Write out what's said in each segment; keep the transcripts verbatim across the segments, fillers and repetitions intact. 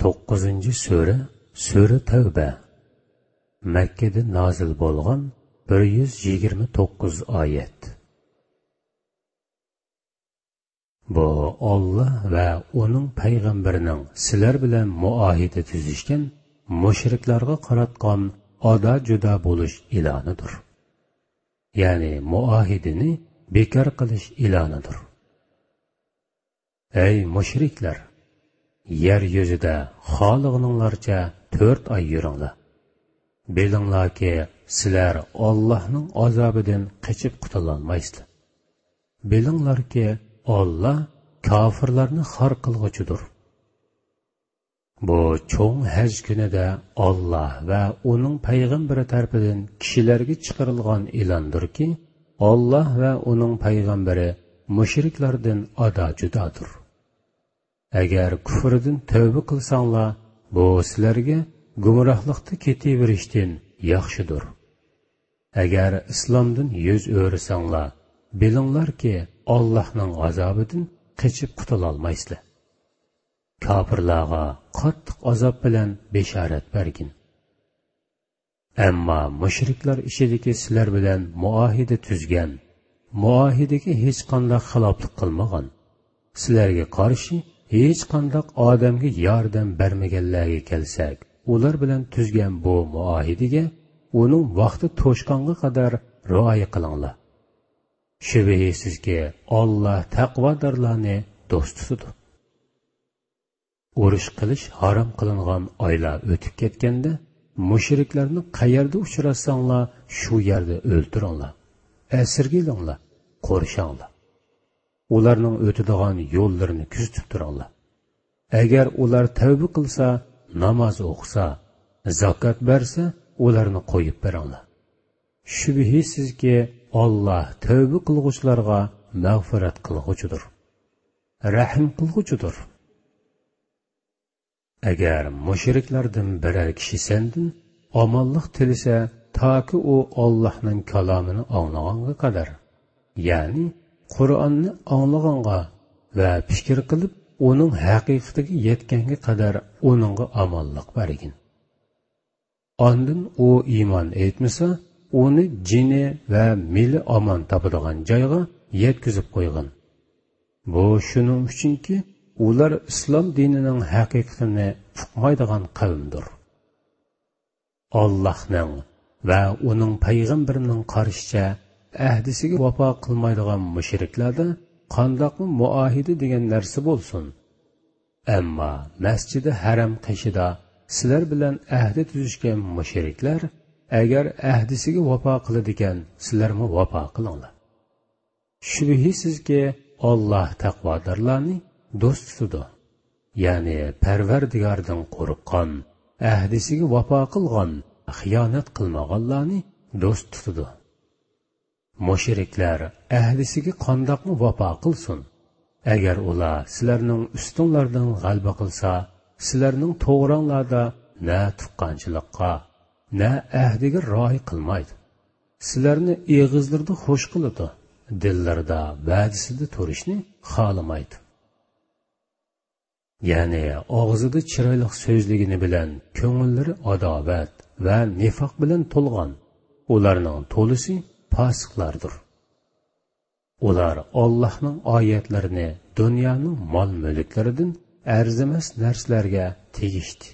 توققۇزىنچى سۈرە، سۈرە تەۋبە. مەككىدە نازىل بولغان، بىر يۈز يىگىرمە توققۇز ئايەت. بۇ ئاللا ۋە ئۇنىڭ پەيغەمبىرىنىڭ سىلەر بىلەن مۇئاھىدە تۈزۈشكەن مۇشرىكلارغا قاراتقان ئادا-جۇدا بولۇش ئېلانىدۇر. يەنى مۇئاھىدىنى بىكار قىلىش ئېلانىدۇر. ئەي مۇشرىكلار! يەر يۈزىدە خالىغىنىڭلارچە تۆت ئاي يۈرۈڭلار. بىلىڭلاركى، سىلەر ئاللاھنىڭ ئازابىدىن قېچىپ قۇتۇلالمايسىلەر. بىلىڭلاركى، ئاللا كاپىرلارنى خار قىلغۇچىدۇر. بۇ چوڭ ھەج كۈنىدە ئاللا ۋە ئۇنىڭ پەيغەمبىرى تەرىپىدىن كىشىلەرگە چىقىرىلغان ئېلاندۇركى، ئاللا ۋە ئۇنىڭ پەيغەمبىرى مۇشرىكلاردىن ئادا-جۇدادۇر. ئەگەر كۇفرىدىن تەۋبە قىلساڭلار، بۇ سىلەرگە گۇمراھلىقتا كېتىۋېرىشتىن ياخشىدۇر. ئەگەر ئىسلامدىن يۈز ئۆرۈسەڭلار، بىلىڭلاركى، ئاللاھنىڭ ئازابىدىن قېچىپ قۇتۇلالمايسىلەر. كاپىرلارغا قاتتىق ئازاب بىلەن بېشارەت بەرگىن. ئەمما مۇشرىكلار ئىچىدىكى سىلەر بىلەن مۇئاھىدە تۈزگەن، مۇئاھىدىگە ھېچقانداق خىلاپلىق قىلمىغان، سىلەرگە قارشى ھېچقانداق ئادەمگە ياردەم بەرمىگەنلەرگە كەلسەك، ئۇلار بىلەن تۈزگەن بۇ مۇئاھىدىگە ئۇنىڭ ۋاقتى توشقانغا قەدەر رىئايە قىلىڭلار. شۈبھىسىزكى، ئاللا تەقۋادارلارنى دوست تۇتىدۇ. ئۇرۇش قىلىش ھارام قىلىنغان ئايلار ئۆتۈپ كەتكەندە، مۇشرىكلارنى قەيەردە ئۇچراتساڭلار، شۇ يەردە ئۆلتۈرۈڭلار، ئەسىرگە ئېلىڭلار، قورشاڭلار. ئۇلارنىڭ ئۆتىدىغان يوللىرىنى كۆزىتىپ تۇرۇڭلار. ئەگەر ئۇلار تەۋبە قىلسا، ناماز ئوقۇسا، زاكات بەرسە، ئۇلارنى قويۇپ بېرىڭلار. شۈبھىسىزكى، ئاللا تەۋبە قىلغۇچىلارغا مەغپىرەت قىلغۇچىدۇر، رەھىم قىلغۇچىدۇر. ئەگەر مۇشرىكلاردىن بىرەر كىشى سەندىن ئامانلىق تىلىسە، تاكى ئۇ ئاللاھنىڭ كالامىنى ئاڭلىغانغا قەدەر، يەنى قۇرئاننى ئاڭلىغانغا ۋە پىكىر قىلىپ ئۇنىڭ ھەقىقىتىگە يەتكەنگە قەدەر ئۇنىڭغا ئامانلىق بەرگىن. ئاندىن ئۇ ئىمان ئېيتمىسا، ئۇنى جېنى ۋە مېلى ئامان تاپىدىغان جايغا يەتكۈزۈپ قويغىن. بۇ شۇنىڭ ئۈچۈنكى، ئۇلار ئىسلام دىنىنىڭ ھەقىقىتىنى ئۇقمايدىغان قەۋمدۇر. ئاللاھنىڭ ۋە ئۇنىڭ پەيغەمبىرىنىڭ قارىشىچە، ئەھدىسىگە ۋاپا قىلمايدىغان مۇشرىكلاردا قانداقمۇ مۇئاھىدە دېگەن نەرسە بولسۇن؟ ئەمما مەسچىدى ھەرەم قېشىدا سىلەر بىلەن ئەھدى تۈزۈشكەن مۇشرىكلار ئەگەر ئەھدىسىگە ۋاپا قىلىدىكەن، سىلەرمۇ ۋاپا قىلىڭلار. شۈبھىسىزكى، ئاللا تەقۋادارلارنى دوست تۇتىدۇ. يەنى پەرۋەردىگاردىن قورققان، ئەھدىسىگە ۋاپا قىلغان، خىيانەت قىلمىغانلارنى دوست تۇتىدۇ. مۇشرىكلار ئەھدىسىگە قانداقمۇ ۋاپا قىلسۇن؟ ئەگەر ئۇلار سىلەرنىڭ ئۈستۈڭلاردىن غەلىبە قىلسا، سىلەرنىڭ توغراڭلاردا نە تۇغقانچىلىققا، نە ئەھدىگە رىئايە قىلمايدۇ. سىلەرنى ئېغىزلىرىدا خوش قىلىدۇ، دىللىرىدا ۋەدىسىدە تۇرۇشنى خالىمايدۇ. يەنى ئاغزىدا چىرايلىق سۆزلىگىنى بىلەن كۆڭۈللىرى ئاداۋەت ۋە نىفاق بىلەن تولغان، ئۇلارنىڭ تولىسى پاسىقلاردۇر. ئۇلار ئاللاھنىڭ ئايەتلىرىنى دۇنيانىڭ مال-مۈلۈكلىرىدىن ئەرزىمەس نەرسىلەرگە تېگىشتى.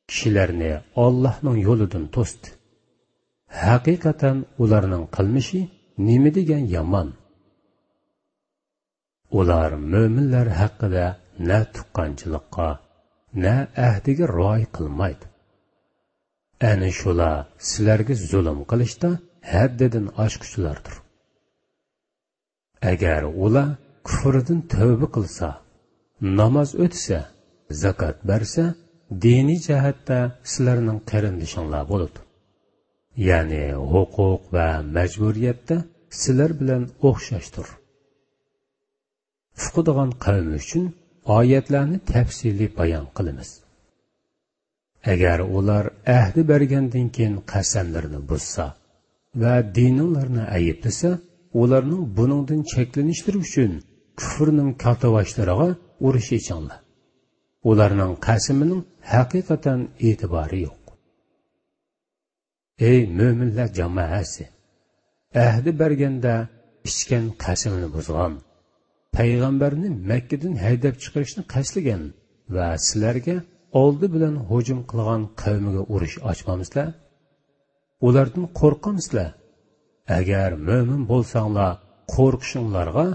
كىشىلەرنى ئاللاھنىڭ يولىدىن توستى. ھەقىقەتەن ئۇلارنىڭ قىلمىشى نېمە دېگەن يامان! ئۇلار مۆمىنلەر ھەققىدە نە تۇغقانچىلىققا، نە ئەھدىگە رىئايە قىلمايدۇ. ئەنە شۇلار سىلەرگە زۇلۇم قىلىشتا ھەددىدىن ئاشقۇچىلاردۇر. ئەگەر ئۇلار كۇفرىدىن تەۋبە قىلسا، ناماز ئۆتىسە، زاكات بەرسە، دىنىي جەھەتتە سىلەرنىڭ قېرىندىشىڭلار بولىدۇ. يەنى ھوقۇق ۋە مەجبۇرىيەتتە سىلەر بىلەن ئوخشاشتۇر. ئۇقىدىغان قەۋم ئۈچۈن ئايەتلەرنى تەپسىلىي بايان قىلىمىز. ئەگەر ئۇلار ئەھدى بەرگەندىن كېيىن قەسەملىرىنى بۇزسا ۋە دىنىڭلارنى ئەيىبلىسە، ئۇلارنىڭ بۇنىڭدىن چەكلىنىشلىرى ئۈچۈن كۇفرنىڭ كاتتىباشلىرىغا ئۇرۇش ئېچىڭلار. ئۇلارنىڭ قەسىمىنىڭ ھەقىقەتەن ئېتىبارى يوق. ئەي مۆمىنلەر جامائەسى! ئەھدى بەرگەندە ئىچكەن قەسىمىنى بۇزغان، پەيغەمبەرنى مەككىدىن ھەيدەپ چىقىرىشنى قەستلىگەن ۋە سىلەرگە ئالدى بىلەن ھۇجۇم قىلغان قەۋمىگە ئۇرۇش ئاچمامسىلەر؟ ئۇلاردىن قورقامسىلەر؟ ئەگەر مۆمىن بولساڭلار، قورقۇشۇڭلارغا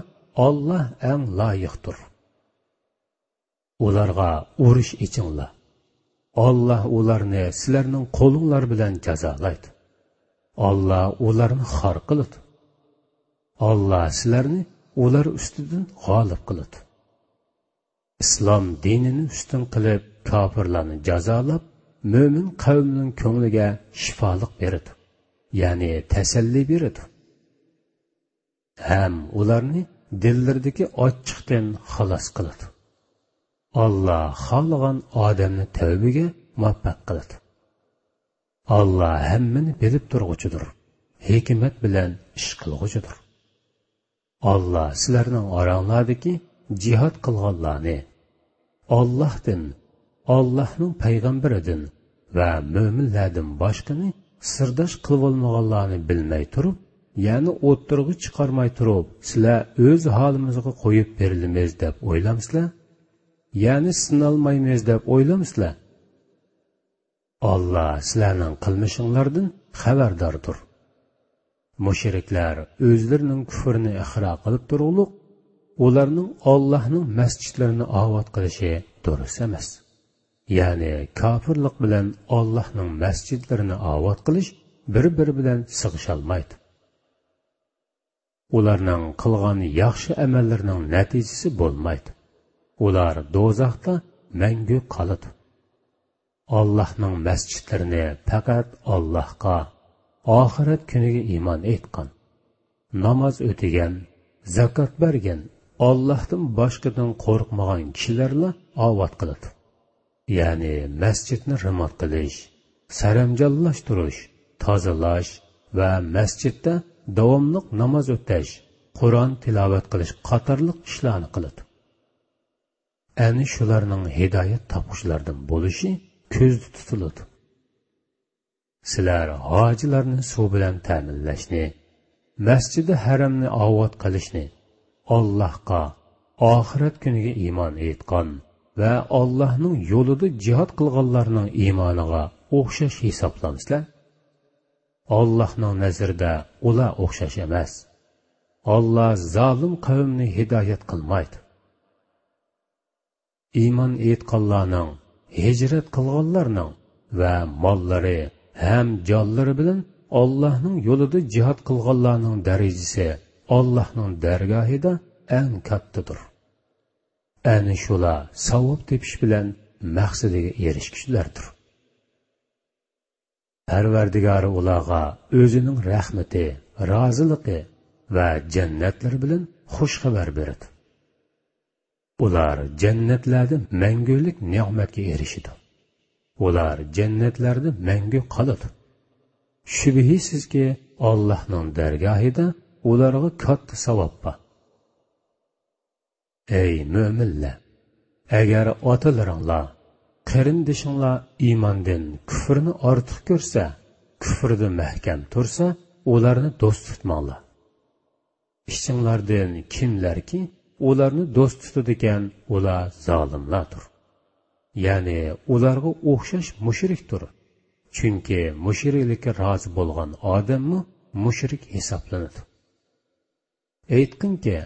ئاللا ئەڭ لايىقتۇر. ئۇلارغا ئۇرۇش ئېچىڭلار. ئاللا ئۇلارنى سىلەرنىڭ قولۇڭلار بىلەن جازالايدۇ. ئاللا ئۇلارنى خار قىلىدۇ. ئاللا سىلەرنى ئۇلار ئۈستىدىن غالىب قىلىدۇ. ئىسلام دىنىنى ئۈستۈن قىلىپ، كاپىرلارنى جازالاپ، مۆمىن قەۋمنىڭ كۆڭلىگە شىپالىق بېرىدۇ، يەنى تەسەللى بېرىدۇ. ھەم ئۇلارنى دىللىرىدىكى ئاچچىقتىن خالاس قىلىدۇ. ئاللا خالىغان ئادەمنى تەۋبىگە مۇۋەپپەق قىلىدۇ. ئاللا ھەممىنى بىلىپ تۇرغۇچىدۇر، ھېكمەت بىلەن ئىش قىلغۇچىدۇر. ئاللا سىلەرنىڭ ئاراڭلاردىكى جىھاد قىلغانلارنى، ئاللاھتىن، ئاللاھنىڭ پەيغەمبىرىدىن ۋە مۆمىنلەردىن باشقىنى سىرداش قىلىۋالمىغانلارنى بىلمەي تۇرۇپ، يەنى ئوتتۇرىغا چىقارماي تۇرۇپ، سىلەر ئۆز ھالىمىزغا قويۇپ بېرىلىمىز دەپ ئويلامسىلەر؟ يەنى سىنالمايمىز دەپ ئويلامسىلەر؟ ئاللا سىلەرنىڭ قىلمىشىڭلاردىن خەۋەرداردۇر. مۇشرىكلار ئۆزلىرىنىڭ كۇفرىنى ئىقرار قىلىپ تۇرۇقلۇق، ئۇلارنىڭ ئاللاھنىڭ مەسچىتلىرىنى ئاۋات قىلىشى دۇرۇس ئەمەس. يەنى كاپىرلىق بىلەن ئاللاھنىڭ مەسچىتلىرىنى ئاۋات قىلىش بىر-بىرى بىلەن سىغىشالمايدۇ. ئۇلارنىڭ قىلغان ياخشى ئەمەللىرىنىڭ نەتىجىسى بولمايدۇ. ئۇلار دوزاختا مەڭگۈ قالىدۇ. ئاللاھنىڭ مەسچىتلىرىنى پەقەت ئاللاھقا، ئاخىرەت كۈنىگە ئىمان ئېيتقان، ناماز ئۆتىگەن، زاكات بەرگەن، ئاللاھتىن باشقىدىن قورقمىغان كىشىلەرلا ئاۋات قىلىدۇ. يەنى مەسچىتنى رېمونت قىلىش، سەرەمجانلاشتۇرۇش، تازىلاش ۋە مەسچىتتە داۋاملىق ناماز ئۆتەش، قۇرئان تىلاۋەت قىلىش قاتارلىق ئىشلارنى قىلىدۇ. ئەنە شۇلارنىڭ ھىدايەت تاپقۇچىلاردىن بولۇشى كۆزدە تۇتۇلىدۇ. سىلەر ھاجىلارنى سۇ بىلەن تەمىنلەشنى، مەسچىدى ھەرەمنى ئاۋات قىلىشنى ئاللاھقا، ئاخىرەت كۈنىگە ئىمان ئېيتقان ۋە ئاللاھنىڭ يولىدا جىھاد قىلغانلارنىڭ ئىمانىغا ئوخشاش ھېسابلامسىلەر؟ ئاللاھنىڭ نەزىرىدە ئۇلار ئوخشاش ئەمەس. ئاللا زالىم قەۋمنى ھىدايەت قىلمايدۇ. ئىمان ئېيتقانلارنىڭ، ھىجرەت قىلغانلارنىڭ ۋە ماللىرى ھەم جانلىرى بىلەن ئاللاھنىڭ يولىدا جىھاد قىلغانلارنىڭ دەرىجىسى ئاللاھنىڭ دەرگاھىدا ئەڭ كاتتىدۇر. ئەنە شۇلار ساۋاب تېپىش بىلەن مەقسىتىگە ئېرىشكۈچىلەردۇر. پەرۋەردىگارى ئۇلارغا ئۆزىنىڭ رەھمىتى، رازىلىقى ۋە جەننەتلىرى بىلەن خۇش خەۋەر بېرىدۇ. ئۇلار جەننەتلەردە مەڭگۈلۈك نېمەتكە ئېرىشىدۇ. ئۇلار جەننەتلەردە مەڭگۈ قالىدۇ. شۈبھىسىزكى، ئاللاھنىڭ دەرگاھىدا ئۇلارغا كاتتا ساۋاب بار. ئەي مۆمىنلەر! ئەگەر ئاتىلىرىڭلار، قېرىندىشىڭلار ئىماندىن كۇفرنى ئارتۇق كۆرسە، كۇفردا مەھكەم تۇرسا، ئۇلارنى دوست تۇتماڭلار. ئىچىڭلاردىن كىملەركى ئۇلارنى دوست تۇتىدىكەن، ئۇلار زالىملاردۇر. يەنى ئۇلارغا ئوخشاش مۇشرىكتۇر. چۈنكى مۇشرىكلىككە رازى بولغان ئادەممۇ مۇشرىك ھېسابلىنىدۇ. ئېيتقىنكى،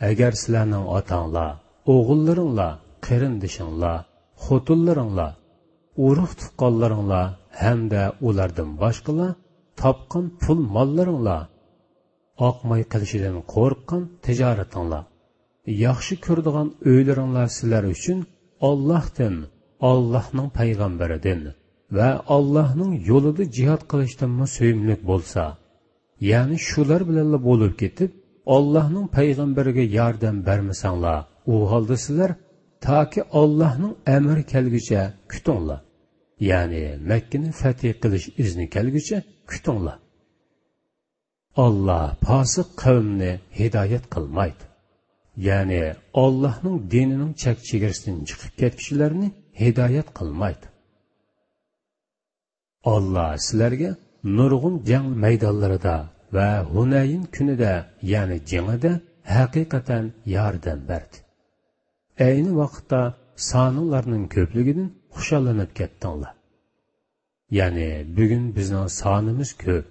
ئەگەر سىلەرنىڭ ئاتاڭلار، ئوغۇللىرىڭلار، قېرىندىشىڭلار، خوتۇنلىرىڭلار، ئۇرۇق-تۇغقانلىرىڭلار ھەمدە ئۇلاردىن باشقىلار تاپقان پۇل-ماللىرىڭلار، ئاقماي قېلىشىدىن قورققان تىجارىتىڭلار، ياخشى كۆرىدىغان ئۆيلىرىڭلار سىلەر ئۈچۈن ئاللاھتىن، ئاللاھنىڭ پەيغەمبىرىدىن ۋە ئاللاھنىڭ يولىدا جىھاد قىلىشتىنمۇ سۆيۈملۈك بولسا، يەنى شۇلار بىلەنلا بولۇپ كېتىپ، ئاللاھنىڭ پەيغەمبىرىگە ياردەم بەرمىسەڭلار، ئۇ ھالدا سىلەر تاكى ئاللاھنىڭ ئەمرى كەلگۈچە كۈتۈڭلار. يەنى مەككىنى فەتھى قىلىش ئىزنى كەلگۈچە كۈتۈڭلار. ئاللا پاسىق قەۋمنى ھىدايەت قىلمايدۇ. يەنى ئاللاھنىڭ دىنىنىڭ چەك-چېگرىسىدىن چىقىپ كەتكۈچىلەرنى ھىدايەت قىلمايدۇ. ئاللا سىلەرگە نۇرغۇن جەڭ مەيدانلىرىدا ۋە ھۇنەيىن كۈنىدە، يەنى جېڭىدە ھەقىقەتەن ياردەم بەردى. ئەينى ۋاقىتتا سانىڭلارنىڭ كۆپلۈكىدىن خۇشاللىنىپ كەتتىڭلار. يەنى، «بۈگۈن بىزنىڭ سانىمىز كۆپ،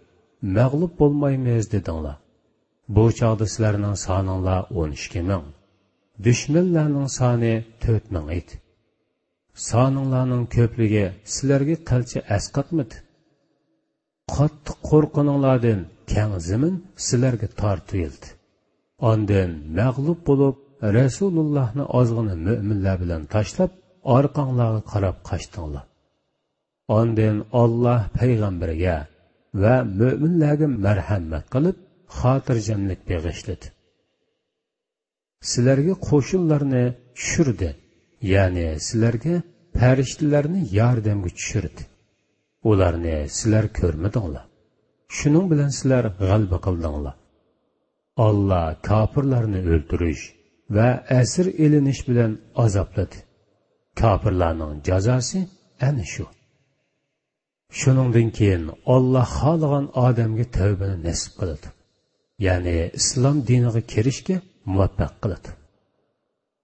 مەغلۇپ بولمايمىز» دېدىڭلار. بۇ چاغدا سىلەرنىڭ سانىڭلار ئون ئىككى مىڭ، دۈشمەنلەرنىڭ سانى تۆت مىڭ ئىدى. سانىڭلارنىڭ كۆپلۈكى سىلەرگە قىلچە ئەسقاتمىدى. قاتتىق قورققىنىڭلاردىن كەڭ زېمىن سىلەرگە تارتىۋېلىدى. ئاندىن مەغلۇپ بولۇپ، رەسۇلۇللاھنى ئازغىنە مۆمىنلەر بىلەن تاشلاپ، ئارقاڭلارغا قاراپ قاچتىڭلار. ئاندىن ئاللا پەيغەمبىرىگە ۋە مۆمىنلەرگە مەرھەمەت قىلىپ، خاتىرجەملىك بېغىشلىدى. سىلەرگە قوشۇنلارنى چۈشۈردى، يەنى سىلەرگە پەرىشتىلەرنى ياردەمگە چۈشۈردى. ئۇلارنى سىلەر كۆرمىدىڭلار. شۇنىڭ بىلەن سىلەر غەلىبە قىلدىڭلار. ئاللا كاپىرلارنى ئۆلتۈرۈش ۋە ئەسىر ئېلىنىش بىلەن ئازابلىدى. كاپىرلارنىڭ جازاسى ئەنە شۇ. شۇنىڭدىن كېيىن ئاللا خالىغان ئادەمگە تەۋبىنى نېسىپ قىلىدۇ، يەنى ئىسلام دىنىغا كىرىشكە مۇۋەپپەق قىلىدۇ.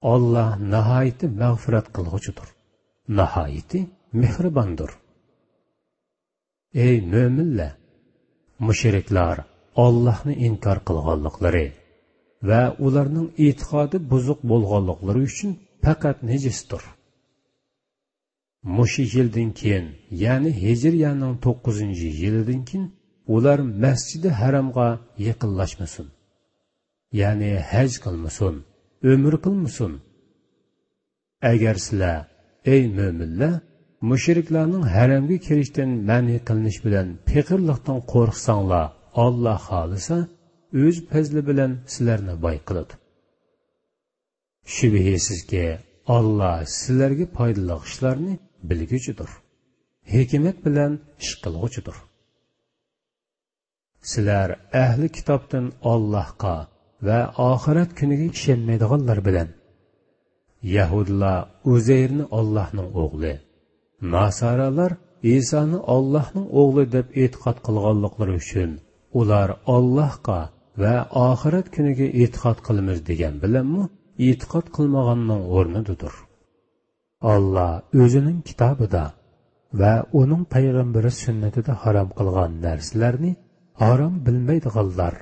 ئاللا ناھايىتى مەغپىرەت قىلغۇچىدۇر، ناھايىتى مېھرىباندۇر. ئەي مۆمىنلەر! مۇشرىكلار ئاللاھنى ئىنكار قىلغانلىقلىرى ۋە ئۇلارنىڭ ئېتىقادى بۇزۇق بولغانلىقلىرى ئۈچۈن پەقەت نىجىستۇر. مۇشۇ يىلدىن كېيىن، يەنى ھىجرىيەنىڭ توققۇزىنچى يىلىدىن كېيىن ئۇلار مەسجىدى ھەرامغا يېقىنلاشمىسۇن، يەنى ھەج قىلمىسۇن، ئۆمرە قىلمىسۇن. ئەگەر سىلەر، ئەي مۆمىنلەر، مۇشرىكلارنىڭ ھەرەمگە كىرىشتىن مەنئى قىلىنىش بىلەن پېقىرلىقتىن قورقساڭلار، ئاللا خالىسا، ئۆز پەزلى بىلەن سىلەرنى باي قىلىدۇ. شۈبھىسىزكى، ئاللا سىلەرگە پايدىلىق ئىشلارنى بىلگۈچىدۇر، ھېكمەت بىلەن ئىش قىلغۇچىدۇر. سىلەر ئەھلى كىتابتىن ئاللاھقا ۋە ئاخىرەت كۈنىگە ئىشەنمەيدىغانلار بىلەن، يەھۇدىيلار ئۇزەيرنى ئاللاھنىڭ ئوغلى، ناسارالار ئىسانى ئاللاھنىڭ ئوغلى دەپ ئېتىقاد قىلغانلىقلىرى ئۈچۈن، ئۇلار ئاللاھقا ۋە ئاخىرەت كۈنىگە ئېتىقاد قىلىمىز دېگەن بىلەنمۇ ئېتىقاد قىلمىغاننىڭ ئورنىدىدۇر. ئاللا ئۆزىنىڭ كىتابىدا ۋە ئۇنىڭ پەيغەمبىرى سۈننىتىدە ھارام قىلغان نەرسىلەرنى ھارام بىلمەيدىغانلار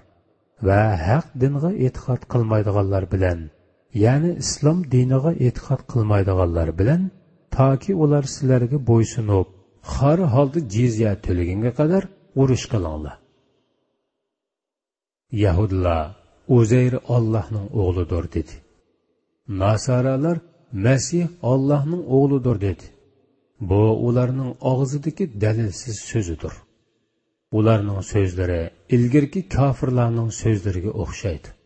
ۋە ھەق دىنغا ئېتىقاد قىلمايدىغانلار بىلەن، يەنى ئىسلام دىنىغا ئېتىقاد قىلمايدىغانلار بىلەن، تاكى ئۇلار سىلەرگە بويسۇنۇپ، خار ھالدا جىزيە تۆلىگەنگە قەدەر ئۇرۇش قىلىڭلار. يەھۇدىيلار ئۇزەير ئاللاھنىڭ ئوغلىدۇر دېدى. ناسارالار مەسىھ ئاللاھنىڭ ئوغلىدۇر دېدى. بۇ ئۇلارنىڭ ئاغزىدىكى دەلىلسىز سۆزىدۇر. ئۇلارنىڭ سۆزلىرى ئىلگىرىكى كاپىرلارنىڭ سۆزلىرىگە ئوخشايدۇ.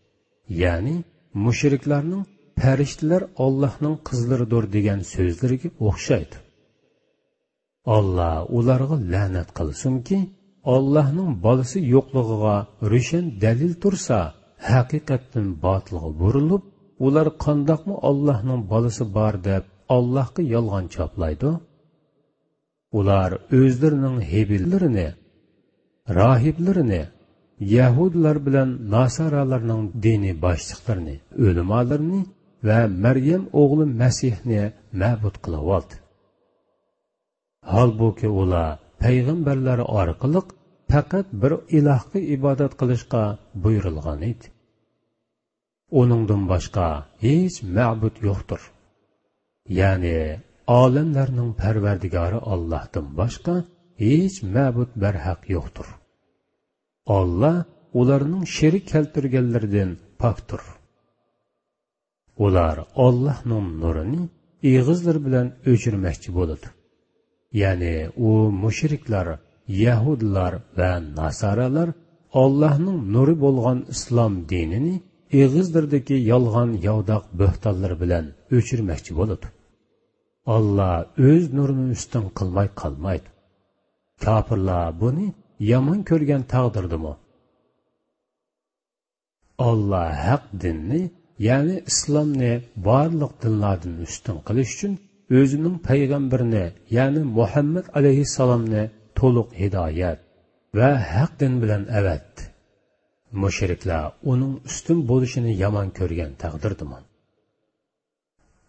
يەنى مۇشرىكلارنىڭ پەرىشتىلەر ئاللاھنىڭ قىزلىرىدۇر دېگەن سۆزلىرىگە ئوخشايدۇ. ئاللا ئۇلارغا لەنەت قىلسۇنكى، ئاللاھنىڭ بالىسى يوقلۇقىغا روشەن دەلىل تۇرسا، ھەقىقەتتىن باتىلغا بۇرۇلۇپ، ئۇلار قانداقمۇ ئاللاھنىڭ بالىسى بار دەپ، ئاللاھقا يالغان چاپلايدۇ؟ ئۇلار ئۆزلىرىنىڭ ھېبىللىرىنى، راھىبلىرىنى، يەھۇدىيلار بىلەن ناسارالارنىڭ دىنىي باشلىقلىرىنى، ئۆلىمالىرىنى ۋە مەريەم ئوغلى مەسىھنى مەبۇد قىلىۋالدى. ھالبۇكى، ئۇلار پەيغەمبەرلەر ئارقىلىق پەقەت بىر ئىلاھقا ئىبادەت قىلىشقا بۇيرۇلغان ئىدى. ئۇنىڭدىن باشقا ھېچ مەبۇد يوقتۇر. يەنى ئالەملەرنىڭ پەرۋەردىگارى ئاللاھتىن باشقا ھېچ مەبۇد بەرھەق يوقتۇر. ئاللا ئۇلارنىڭ شېرىك كەلتۈرگەنلىرىدىن پاكتۇر. ئۇلار ئاللاھنىڭ نۇرىنى ئېغىزلىرى بىلەن ئۆچۈرمەكچى بولىدۇ. يەنى ئۇ مۇشرىكلار، يەھۇدىيلار ۋە ناسارالار ئاللاھنىڭ نۇرى بولغان ئىسلام دىنىنى ئېغىزلىرىدىكى يالغان ياۋىداق بۆھتانلىرى بىلەن ئۆچۈرمەكچى بولىدۇ. ئاللا ئۆز نۇرىنى ئۈستۈن قىلماي قالمايدۇ. كاپىرلار بۇنى يامان كۆرگەن تەقدىردىمۇ، ئاللا ھەق دىننى يەنى ئىسلامنى بارلىق دىنلاردىن ئۈستۈن قىلىش ئۈچۈن ئۆزىنىڭ پەيغەمبىرىنى، يەنى مۇھەممەد ئەلەيھىسسالامنى تولۇق ھىدايەت ۋە ھەق دىن بىلەن ئەۋەتتى. مۇشرىكلار ئۇنىڭ ئۈستۈن بولۇشىنى يامان كۆرگەن تەقدىردىمۇ.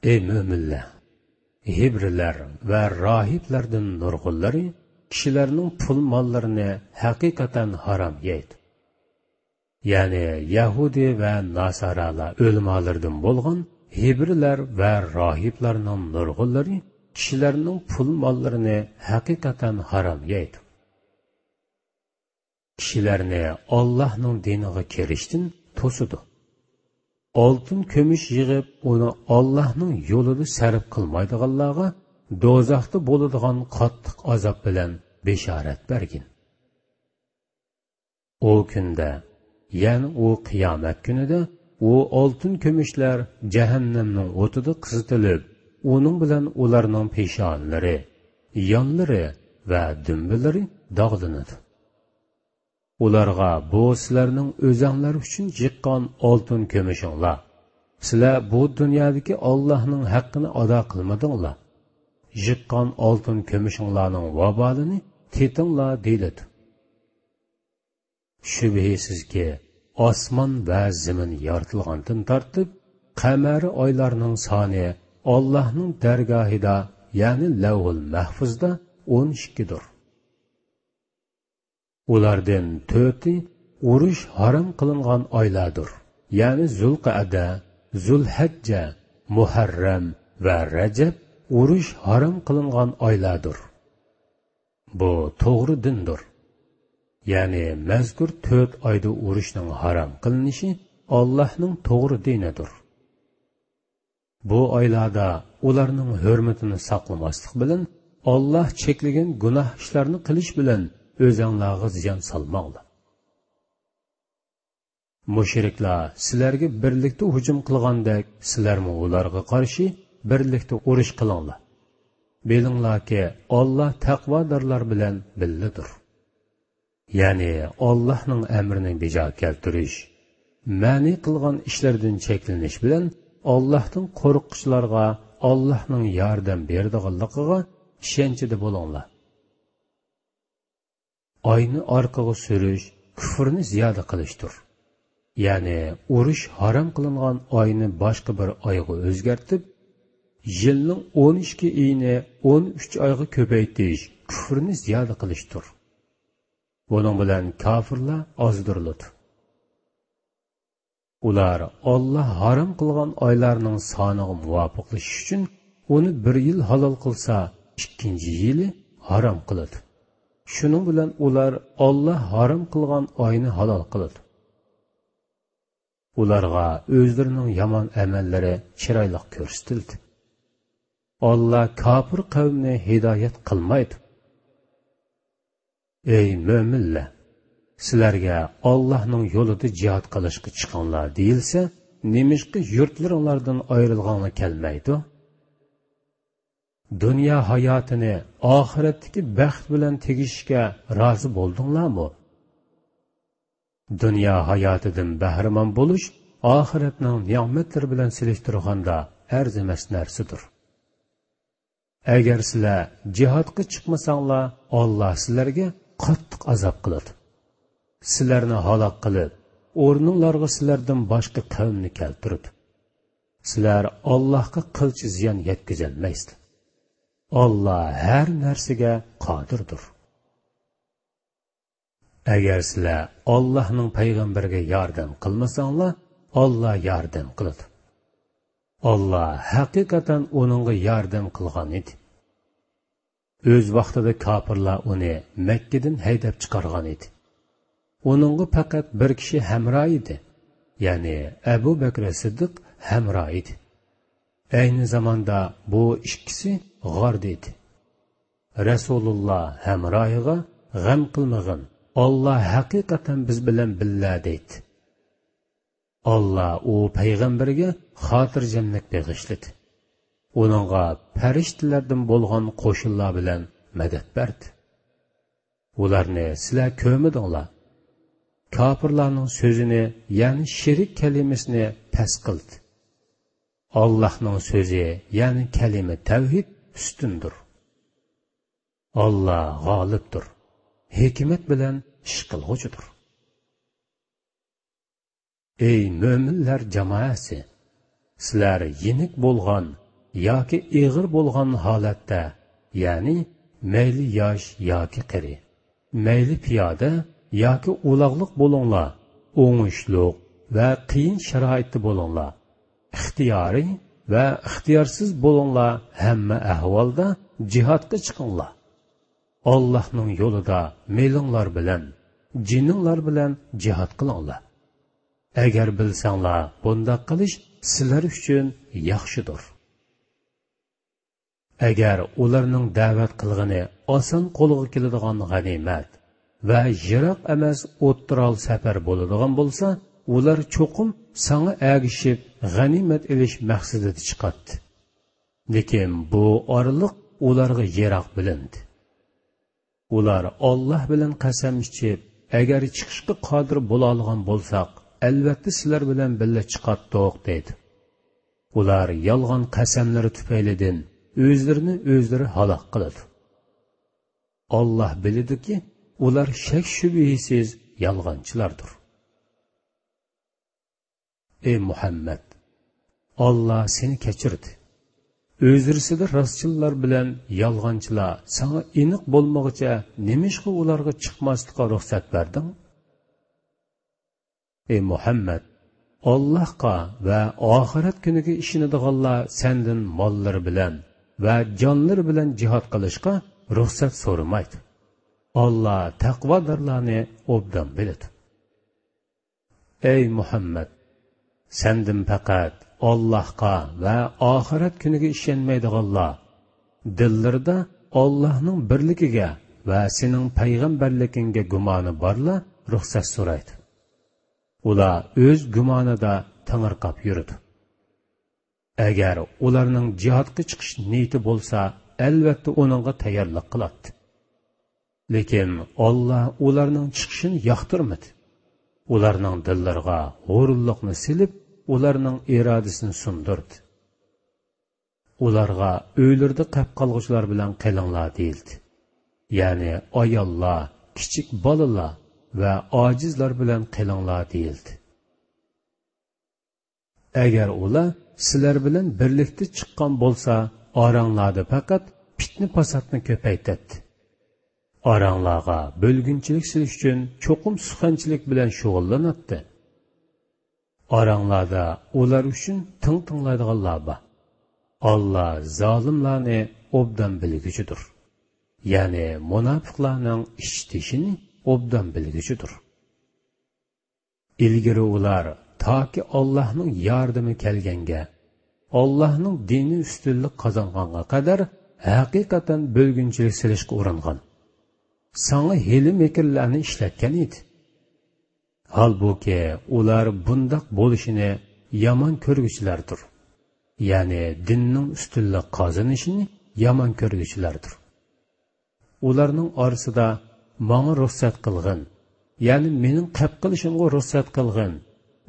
ئەي مۆمىنلەر! ھېبرىلەر ۋە راھىبلاردىن نۇرغۇنلىرى كىشىلەرنىڭ پۇل ماللىرىنى ھەقىقەتەن ھارام يەيدۇ. يەنى يەھۇدىي ۋە ناسارالار ئۆلىمالىرىدىن بولغان ھېبرىلەر ۋە راھىبلارنىڭ نۇرغۇنلىرى كىشىلەرنىڭ پۇل ماللىرىنى ھەقىقەتەن ھارام يەيدۇ. كىشىلەرنى ئاللاھنىڭ دىنىغا كىرىشتىن توسىدۇ. ئالتۇن كۈمۈش يىغىپ، ئۇنى ئاللاھنىڭ يولىدا سەرپ قىلمايدىغانلارغا دوزاختا بولىدىغان قاتتىق ئازاب بىلەن بېشارەت بەرگىن. ئۇ كۈندە، يەنى ئۇ قىيامەت كۈنىدە، ئۇ ئالتۇن كۈمۈشلەر جەھەننەمنىڭ ئوتىدا قىزىتىلىپ، ئۇنىڭ بىلەن ئۇلارنىڭ پېشانىلىرى، يانلىرى ۋە دۈمبىلىرى داغلىنىدۇ. ئۇلارغا، بۇ سىلەرنىڭ ئۆزەڭلار ئۈچۈن يىغقان ئالتۇن كۈمۈشۈڭلار. سىلەر بۇ دۇنيادىكى ئاللاھنىڭ ھەققىنى ئادا قىلمىدىڭلار. يىغقان ئالتۇن كۈمۈشۈڭلارنىڭ ۋابالىنى تېتىڭلار، دېيىلىدۇ. شۈبھىسىزكى، ئاسمان ۋە زېمىن يارىتىلغاندىن تارتىپ، قەمەرىي ئايلارنىڭ سانى ئاللاھنىڭ دەرگاھىدا، يەنى لەۋھۇل مەھفۇزدا ئون ئىككىدۇر. ئۇلاردىن تۆتى ئۇرۇش ھارام قىلىنغان ئايلاردۇر، يەنى زۇلقەئدە، زۇلھەججە، مۇھەررەم ۋە رەجەب ئۇرۇش ھارام قىلىنغان ئايلاردۇر. بۇ توغرا دىندۇر. يەنى مەزكۇر تۆت ئايدا ئۇرۇشنىڭ ھارام قىلىنىشى ئاللاھنىڭ توغرا دىنىدۇر. بۇ ئايلاردا ئۇلارنىڭ ھۆرمىتىنى ساقلىماسلىق بىلەن، ئاللاھ چەكلىگەن گۇناھ ئىشلارنى قىلىش بىلەن ئۆزەڭلارغا زىيان سالماڭلار. مۇشرىكلار سىلەرگە بىرلىكتە ھۇجۇم قىلغاندەك، سىلەرمۇ ئۇلارغا قارشى بىرلىكتە ئۇرۇش قىلىڭلار. بىلىڭلاركى، ئاللاھ تەقۋادارلار بىلەن بىللىدۇر. يەنى ئاللاھنىڭ ئەمرىنى بېجا كەلتۈرۈش، مەنئى قىلغان ئىشلىرىدىن چەكلىنىش بىلەن ئاللاھتىن قورققۇچىلارغا ئاللاھنىڭ ياردەم بېرىدىغانلىقىغا ئىشەنچىدە بولۇڭلار. ئاينى ئارقىغا سۈرۈش كۈفرنى زىيادە قىلىشتۇر. يەنى ئۇرۇش ھارام قىلىنغان ئاينى باشقا بىر ئايغا ئۆزگەرتىپ، يىلنىڭ ئون ئىككى ئېيىنى ئون ئۈچ ئايغا كۆپەيتىش كۈفرنى زىيادە قىلىشتۇر. بۇنىڭ بىلەن كاپىرلار ئازدۇرۇلىدۇ. ئۇلار ئاللاھ ھارام قىلغان ئايلارنىڭ سانىغا مۇۋاپىقلىشىش ئۈچۈن ئۇنى بىر يىل ھالال قىلسا، ئىككىنچى يىلى ھارام قىلىدۇ. شۇنىڭ بىلەن ئۇلار ئاللاھ ھارام قىلغان ئاينى ھالال قىلىدۇ. ئۇلارغا ئۆزلىرىنىڭ يامان ئەمەللىرى چىرايلىق كۆرسىتىلدى. ئاللاھ كاپىر قەۋمنى ھىدايەت قىلمايدۇ. ئەي مۆمىنلەر! سىلەرگە ئاللاھنىڭ يولىدا جىھاد قىلىشقا چىقىڭلار دېيىلسە، نېمىشقا يۇرتلىرىڭلاردىن ئايرىلغاڭلار كەلمەيدۇ؟ دۇنيا ھاياتىنى ئاخىرەتتىكى بەخت بىلەن تېگىشىشكە رازى بولدۇڭلارمۇ؟ دۇنيا ھاياتىدىن بەھرىمەن بولۇش ئاخىرەتنىڭ نېمەتلىرى بىلەن سېلىشتۇرغاندا ئەرزىمەس نەرسىدۇر. ئەگەر سىلەر جىھادقا چىقمىساڭلار، ئاللاھ سىلەرگە قاتتىق ئازاب قىلىدۇ. سىلەرنى ھالاك قىلىپ، ئورنۇڭلارغا سىلەردىن باشقا قەۋمنى كەلتۈرىدۇ. سىلەر ئاللاھقا قىلچە زىيان يەتكۈزەلمەيسىلەر. ئاللاھ ھەر نەرسىگە قادىردۇر. ئەگەر سىلەر ئاللاھنىڭ پەيغەمبىرىگە ياردەم قىلمىساڭلار، ئاللاھ ياردەم قىلىدۇ. ئاللاھ ھەقىقەتەن ئۇنىڭغا ياردەم قىلغان ئىدى. ئۆز ۋاقتىدا كاپىرلار ئۇنى مەككىدىن ھەيدەپ چىقارغان ئىدى. ئۇنىڭغا پەقەت بىر كىشى ھەمراھ ئىدى، يەنى ئەبۇ بەكرى سىددىق ھەمراھ ئىدى. ئەينى زاماندا بۇ ئىككىسى غاردا ئىدى. رەسۇلۇللاھ ھەمراھىغا: «غەم قىلمىغىن، ئاللاھ ھەقىقەتەن بىز بىلەن بىللە» دەيتتى. ئاللاھ ئۇ پەيغەمبەرگە خاتىرجەملىك بېغىشلىدى. ئۇنىڭغا پەرىشتىلەردىن بولغان قوشۇنلار بىلەن مەدەت بەردى. ئۇلارنى سىلەر كۆرمىدىڭلار. كاپىرلارنىڭ سۆزىنى، يەنى شېرىك كەلىمىسىنى پەس قىلدى. ئاللاھنىڭ سۆزى، يەنى كەلىمە تەۋھىد ئۈستۈندۇر. ئاللا غالىبتۇر، ھېكمەت بىلەن ئىش قىلغۇچىدۇر. ئەي مۆمىنلەر جامائەسى! سىلەر يېنىك بولغان ياكى ئېغىر بولغان ھالەتتە، يەنى مەيلى ياش ياكى قېرى، مەيلى پىيادە ياكى ئۇلاغلىق بولۇڭلار، ئوڭۇشلۇق ۋە قىيىن شارائىتتا بولۇڭلار، ئىختىيارىي ۋە ئىختىيارسىز بولۇڭلار، ھەممە ئەھۋالدا جىھادقا چىقىڭلار. ئاللاھنىڭ يولىدا مېلىڭلار بىلەن، جېنىڭلار بىلەن جىھاد قىلىڭلار. ئەگەر بىلسەڭلار، بۇنداق قىلىش سىلەر ئۈچۈن ياخشىدۇر. ئەگەر ئۇلارنىڭ دەۋەت قىلغىنى ئاسان قولغا كېلىدىغان غەنىيمەت ۋە يىراق ئەمەس ئوتتۇرال سەپەر بولىدىغان بولسا، ئۇلار چوقۇم ساڭا ئەگىشىپ غەنىيمەت ئېلىش مەقسىتىدە چىقاتتى. لېكىن بۇ ئارىلىق ئۇلارغا يىراق بىلىندى. ئۇلار ئاللاھ بىلەن قەسەم ئىچىپ، ئەگەر چىقىشقا قادىر بولالىغان بولساق، ئەلۋەتتە سىلەر بىلەن بىللە چىقاتتۇق، دەيدۇ. ئۇلار يالغان قەسەملىرى تۈپەيلىدىن ئۆزلىرىنى ئۆزلىرى ھالاك قىلىدۇ. ئاللاھ بىلىدۇكى، ئۇلار شەك-شۈبھىسىز يالغانچىلاردۇر. ئەي مۇھەممەد! ئاللاھ سېنى كەچۈردى. ئۆزرىسىدە راستچىللار بىلەن يالغانچىلار ساڭا ئېنىق بولمىغۇچە نېمىشقا ئۇلارغا چىقماسلىققا رۇخسەت بەردىڭ؟ ئەي مۇھەممەد! ئاللاھقا ۋە ئاخىرەت كۈنىگە ئىشىنىدىغانلار سەندىن ماللىرى بىلەن ۋە جانلىرى بىلەن جىھاد قىلىشقا رۇخسەت سورىمايدۇ. ئاللاھ تەقۋادارلارنى ئوبدان بىلىدۇ. ئەي مۇھەممەد! سەندىن پەقەت ئاللاھقا ۋە ئاخىرەت كۈنىگە ئىشەنمەيدىغانلار، دىللىرىدا ئاللاھنىڭ بىرلىكىگە ۋە سېنىڭ پەيغەمبەرلىكىڭگە گۇمانى بارلار رۇخسەت سورايدۇ. ئۇلار ئۆز گۇمانىدا تېڭىرقاپ يۈرىدۇ. ئەگەر ئۇلارنىڭ جىھادقا چىقىش نىيىتى بولسا، ئەلۋەتتە ئۇنىڭغا تەييارلىق قىلاتتى. لېكىن ئاللاھ ئۇلارنىڭ چىقىشىنى ياقتۇرمىدى. ئۇلارنىڭ دىللىرىغا ھۇرۇنلۇقنى سېلىپ، ئۇلارنىڭ ئىرادىسىنى سۇندۇردى. ئۇلارغا ئۆيلىرىدە قېپ قالغۇچىلار بىلەن قېلىڭلار دېيىلدى. يەنى ئاياللار، كىچىك بالىلار ۋە ئاجىزلار بىلەن قېلىڭلار دېيىلدى. ئەگەر ئۇلار سىلەر بىلەن بىرلىكتە چىققان بولسا، ئاراڭلاردا پەقەت پىتنە-پاساتنى كۆپەيتەتتى. ئاراڭلارغا بۆلگۈنچىلىك سېلىش ئۈچۈن چوقۇم سۇخەنچىلىك بىلەن شۇغۇللىناتتى. ئاراڭلاردا ئۇلار ئۈچۈن تىڭ تىڭلايدىغانلار بار. ئاللاھ زالىملارنى ئوبدان بىلگۈچىدۇر. يەنى مۇناپىقلارنىڭ ئىچ-تېشىنى ئوبدان بىلگۈچىدۇر. ئىلگىرى ئۇلار تاكى ئاللاھنىڭ ياردىمى كەلگەنگە، ئاللاھنىڭ دىنى ئۈستۈنلۈك قازانغانغا قەدەر ھەقىقەتەن بۆلگۈنچىلىك سېلىشقا ئۇرۇنغان، ساڭا ھىيلە-مىكىرلەرنى ئىشلەتكەن ئىدى. ھالبۇكى، ئۇلار بۇنداق بولۇشىنى يامان كۆرگۈچىلەردۇر. يەنى دىننىڭ ئۈستۈنلۈك قازىنىشىنى يامان كۆرگۈچىلەردۇر. ئۇلارنىڭ ئارىسىدا ماڭا رۇخسەت قىلغىن، يەنى مېنىڭ قەپ قىلىشىمغا رۇخسەت قىلغىن،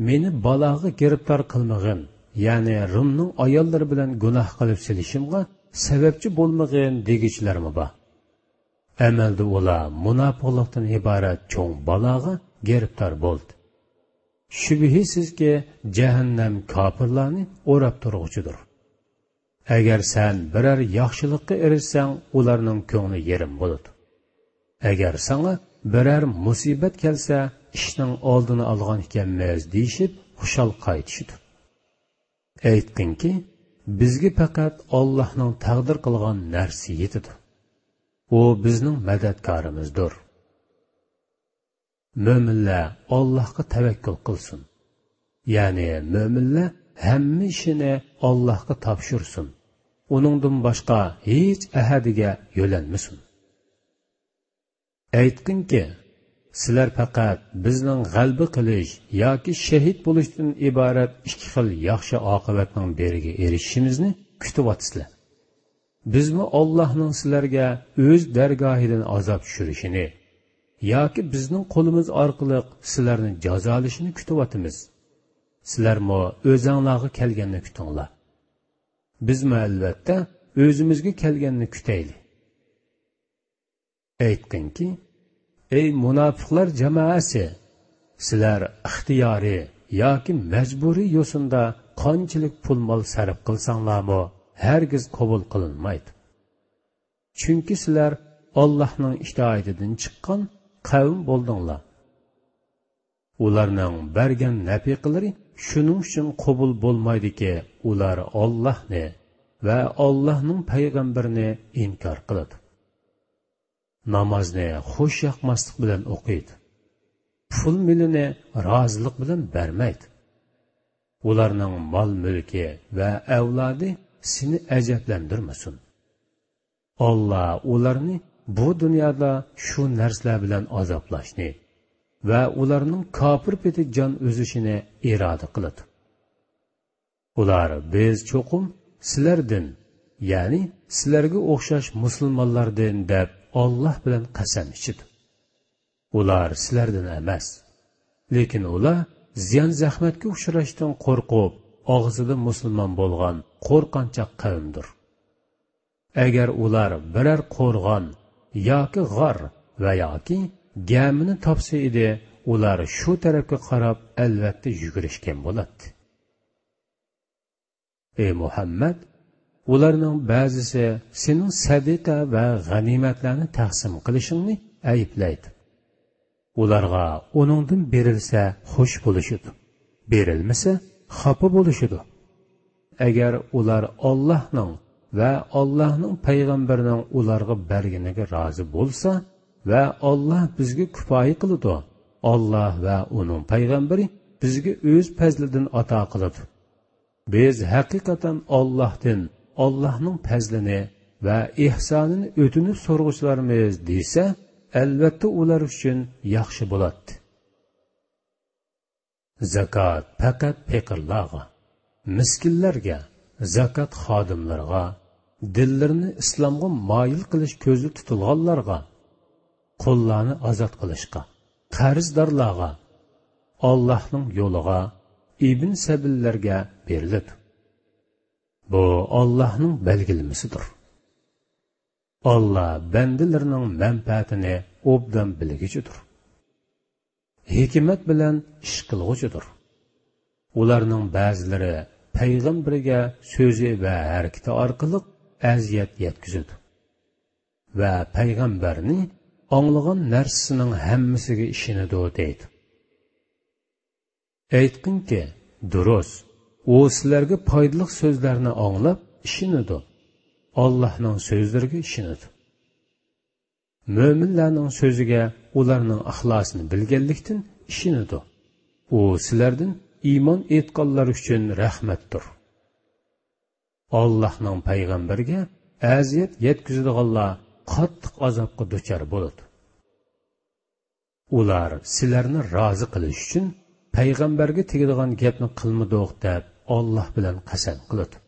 مېنى بالاغا گىرىپتار قىلمىغىن، يەنى رۇمنىڭ ئاياللىرى بىلەن گۇناھ قىلىپ سېلىشىمغا سەۋەبچى بولمىغىن دېگۈچىلەرمۇ بار. ئەمەلدە ئۇلار مۇناپىقلىقتىن ئىبارەت چوڭ بالاغا گىرىپتار بولدى. شۈبھىسىزكى، جەھەننەم كاپىرلارنى ئوراپ تۇرغۇچىدۇر. ئەگەر سەن بىرەر ياخشىلىققا ئېرىشسەڭ، ئۇلارنىڭ كۆڭلى يېرىم بولىدۇ. ئەگەر ساڭا بىرەر مۇسىبەت كەلسە، ئىشنىڭ ئالدىنى ئالغان ئىكەنمىز دېيىشىپ، خۇشال قايتىشىدۇ. ئېيتقىنكى، بىزگە پەقەت ئاللاھنىڭ تەقدىر قىلغان نەرسىسى يېتىدۇ. ئۇ بىزنىڭ مەدەتكارىمىزدۇر. مۆمىنلەر ئاللاھقا تەۋەككۈل قىلسۇن. يەنى مۆمىنلەر ھەممە ئىشىنى ئاللاھقا تاپشۇرسۇن. ئۇنىڭدىن باشقا ھېچ ئەھەدىگە يۆلەنمىسۇن. ئېيتقىنكى، سىلەر پەقەت بىزنىڭ غەلىبە قىلىش ياكى شېھىت بولۇشتىن ئىبارەت ئىككى خىل ياخشى ئاقىۋەتنىڭ بىرىگە ئېرىشىشىمىزنى كۈتۈۋاتىسىلەر. بىزمۇ ئاللاھنىڭ سىلەرگە ئۆز دەرگاھىدىن ئازاب چۈشۈرۈشىنى، ياكى بىزنىڭ قولىمىز ئارقىلىق سىلەرنى جازالىشىنى كۈتۈۋاتىمىز. سىلەرمۇ ئۆزەڭلارغا كەلگەننى كۈتۈڭلار. بىزمۇ ئەلۋەتتە ئۆزىمىزگە كەلگەننى كۈتەيلى. ئېيتقىنكى، ئەي مۇناپىقلار جامائەسى! سىلەر ئىختىيارىي ياكى مەجبۇرىي يوسۇندا قانچىلىك پۇل-مال سەرپ قىلساڭلارمۇ، ھەرگىز قوبۇل قىلىنمايدۇ. چۈنكى سىلەر ئاللاھنىڭ ئىتائىتىدىن چىققان قەۋم بولدۇڭلار. ئۇلارنىڭ بەرگەن نەپىقىلىرى شۇنىڭ ئۈچۈن قوبۇل بولمايدۇكى، ئۇلار ئاللاھنى ۋە ئاللاھنىڭ پەيغەمبىرىنى ئىنكار قىلىدۇ. نامازنى خۇش ياقماسلىق بىلەن ئوقۇيدۇ. پۇل-مېلىنى رازىلىق بىلەن بەرمەيدۇ. ئۇلارنىڭ مال-مۈلكى ۋە ئەۋلادى سېنى ئەجەبلەندۈرمىسۇن. ئاللا ئۇلارنى بۇ دۇنيادا شۇ نەرسىلەر بىلەن ئازابلاشنى ۋە ئۇلارنىڭ كاپىر پېتى جان ئۈزۈشىنى ئىرادە قىلىدۇ. ئۇلار، بىز چوقۇم سىلەردىن، يەنى سىلەرگە ئوخشاش مۇسۇلمانلاردىن، دەپ ئاللا بىلەن قەسەم ئىچىدۇ. ئۇلار سىلەردىن ئەمەس. لېكىن ئۇلار زىيان-زەخمەتكە ئۇچراشتىن قورقۇپ، ئاغزىدا مۇسۇلمان بولغان قورقانچاق قەۋمدۇر. ئەگەر ئۇلار بىرەر قورغان ياكى غار ۋە ياكى گەمىنى تاپسا ئىدى، ئۇلار شۇ تەرەپكە قاراپ ئەلۋەتتە يۈگۈرۈشكەن بولاتتى. ئەي مۇھەممەد، ئۇلارنىڭ بەزىسى سېنىڭ سەدىقە ۋە غەنىيمەتلەرنى تەقسىم قىلىشىڭنى ئەيىبلەيدۇ. ئۇلارغا ئۇنىڭدىن بېرىلسە خۇش بولۇشىدۇ، بېرىلمىسە خاپا بولۇشىدۇ. ئەگەر ئۇلار ئاللاھنىڭ ۋە ئاللاھنىڭ پەيغەمبىرىنىڭ ئۇلارغا بەرگىنىگە رازى بولسا ۋە ئاللاھ بىزگە كۇپايە قىلىدۇ، ئاللاھ ۋە ئۇنىڭ پەيغەمبىرى بىزگە ئۆز پەزلىدىن ئاتا قىلىدۇ. بىز ھەقىقەتەن ئاللاھتىن، ئاللاھنىڭ پەزلىنى ۋە ئېھسانىنى ئۆتۈنۈپ سورىغۇچىلارمىز دېسە، ئەلۋەتتە ئۇلار ئۈچۈن ياخشى بولاتتى. زاكات پەقەت پېقىرلارغا، مىسكىنلەرگە، زاكات خادىملىرىغا، دىللىرىنى ئىسلامغا مايىل قىلىش كۆزدە تۇتۇلغانلارغا، قۇللارنى ئازاد قىلىشقا، قەرزدارلارغا، ئاللاھنىڭ يولىغا، ئىبن سەبىللەرگە بېرىلىدۇ. بۇ ئاللاھنىڭ بەلگىلىمىسىدۇر. ئاللا بەندىلىرىنىڭ مەنپەئەتىنى ئوبدان بىلگۈچىدۇر. ھېكمەت بىلەن ئىش قىلغۇچىدۇر. ئۇلارنىڭ بەزىلىرى پەيغەمبىرىگە سۆزى ۋە ھەرىكىتى ئارقىلىق ئەزىيەت يەتكۈزىدۇ ۋە پەيغەمبەرنى ئاڭلىغان نەرسىسىنىڭ ھەممىسىگە ئىشىنىدۇ، دەيدۇ. ئېيتقىنكى، دۇرۇس، ئۇ سىلەرگە پايدىلىق سۆزلەرنى ئاڭلاپ ئىشىنىدۇ، ئاللاھنىڭ سۆزلىرىگە ئىشىنىدۇ. مۆمىنلەرنىڭ سۆزىگە ئۇلارنىڭ ئىخلاسىنى بىلگەنلىكتىن ئىشىنىدۇ. ئۇ سىلەردىن ئىمان ئېيتقانلار ئۈچۈن رەھمەتتۇر. ئاللاھنىڭ پەيغەمبىرىگە ئەزىيەت يەتكۈزىدىغانلار قاتتىق ئازابقا دۇچار بولىدۇ. ئۇلار سىلەرنى رازى قىلىش ئۈچۈن پەيغەمبەرگە تېگىدىغان گەپنى قىلمىدۇق دەپ ئاللاھ بىلەن قەسەم قىلىدۇ.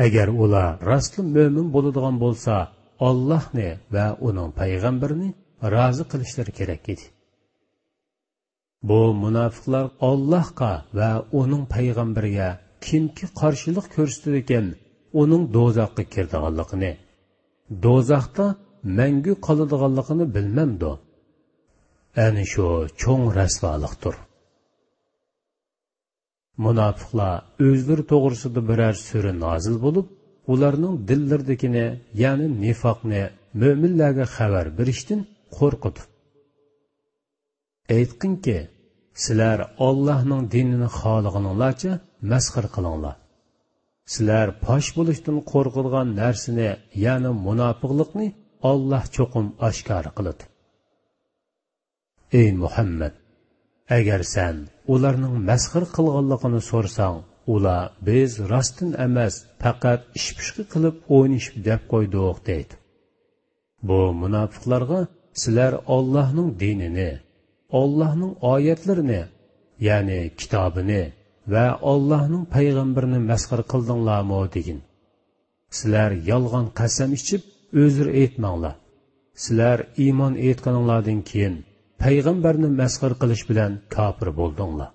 ئەگەر ئۇلار راستلا مۆمىن بولىدىغان بولسا، ئاللاھنى ۋە ئۇنىڭ پەيغەمبىرىنى رازى قىلىشلىرى كېرەك ئىدى. بۇ مۇناپىقلار ئاللاھقا ۋە ئۇنىڭ پەيغەمبىرىگە كىمكى قارشىلىق كۆرسىتىدىكەن، ئۇنىڭ دوزاخقا كىرىدىغانلىقىنى، دوزاختا مەڭگۈ قالىدىغانلىقىنى بىلمەمدۇ؟ ئەنە شۇ چوڭ رەسۋالىقتۇر. مۇناپىقلار ئۆزلىرى توغرىسىدا بىرەر سۈرە نازىل بولۇپ، ئۇلارنىڭ دىللىرىدىكىنى، يەنى نىفاقنى مۆمىنلەرگە خەۋەر بېرىشتىن قورقىدۇ. ئېيتقىنكى، سىلەر ئاللاھنىڭ دىنىنى خالىغىنىڭلارچە مەسخىرە قىلىڭلار. سىلەر پاش بولۇشتىن قورقىدىغان نەرسىنى، يەنى مۇناپىقلىقنى ئاللاھ چوقۇم ئاشكارا قىلىدۇ. ئەي مۇھەممەد! ئەگەر سەن ئۇلارنىڭ مەسخىرە قىلغانلىقىنى سورىساڭ، ئۇلار، بىز راستتىن ئەمەس، پەقەت ئىشپۇشقى قىلىپ ئوينىشىپ دەپ قويدۇق، دەيدۇ. بۇ مۇناپىقلارغا، سىلەر ئاللاھنىڭ دىنىنى، ئاللاھنىڭ ئايەتلىرىنى، يەنى كىتابىنى ۋە ئاللاھنىڭ پەيغەمبىرىنى مەسخىرە قىلدىڭلارمۇ دېگىن. سىلەر يالغان قەسەم ئىچىپ ئۆزرە ئېيتماڭلار. سىلەر ئىمان ئېيتقىنىڭلاردىن كېيىن پەيغەمبەرنى مەسخىرە قىلىش بىلەن كاپىر بولدۇڭلار.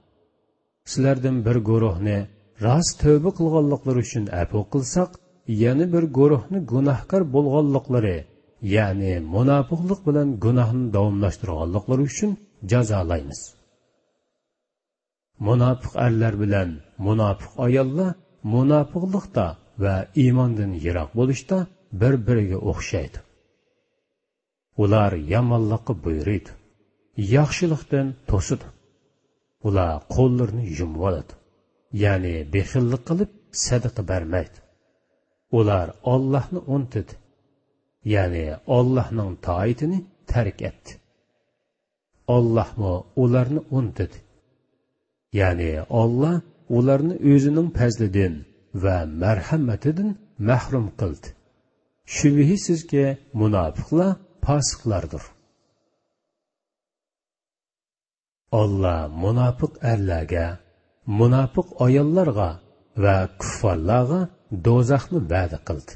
سىلەردىن بىر گۇرۇھنى راست تەۋبە قىلغانلىقلىرى ئۈچۈن ئەپۇ قىلساق، يەنە بىر گۇرۇھنى گۇناھكار بولغانلىقلىرى، يەنى مۇناپىقلىق بىلەن گۇناھنى داۋاملاشتۇرغانلىقلىرى ئۈچۈن جازالايمىز. مۇناپىق ئەرلەر بىلەن مۇناپىق ئاياللار مۇناپىقلىقتا ۋە ئىماندىن يىراق بولۇشتا بىر-بىرىگە ئوخشايدۇ. ئۇلار يامانلىققا بۇيرۇيدۇ، ياخشىلىقتىن توسىدۇ. ئۇلار قوللىرىنى يۇمۇۋالىدۇ، يەنى بېخىللىق قىلىپ سەدىقە بەرمەيدۇ. ئۇلار ئاللاھنى ئۇنتۇدى، يەنى ئاللاھنىڭ تائىتىنى تەرك ئەتتى. ئاللاھمۇ ئۇلارنى ئۇنتۇدى. يەنى ئاللا ئۇلارنى ئۆزىنىڭ پەزلىدىن ۋە مەرھەمىتىدىن مەھرۇم قىلدى. شۈبھىسىزكى، مۇناپىقلار پاسىقلاردۇر. ئاللا مۇناپىق ئەرلەرگە، مۇناپىق ئاياللارغا ۋە كۇففارلارغا دوزاخنى ۋەدە قىلدى.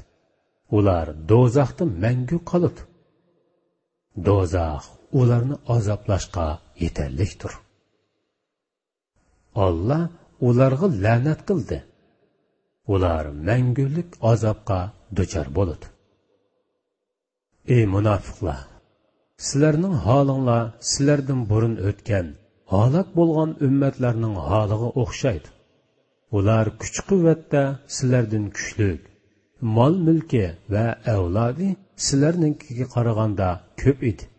ئۇلار دوزاختا مەڭگۈ قالىدۇ. دوزاخ ئۇلارنى ئازابلاشقا يېتەرلىكتۇر. ئاللا ئۇلارغا لەنەت قىلدى. ئۇلار مەڭگۈلۈك ئازابقا دۇچار بولىدۇ. ئى مۇناپىقلار! سىلەرنىڭ ھالىڭلار سىلەردىن بۇرۇن ئۆتكەن، ھالاك بولغان ئۈممەتلەرنىڭ ھالىغا ئوخشايدۇ. ئۇلار كۈچ-قۇۋۋەتتە سىلەردىن كۈچلۈك، مال-مۈلكى ۋە ئەۋلادى سىلەرنىڭكىگە قارىغاندا كۆپ ئىدى.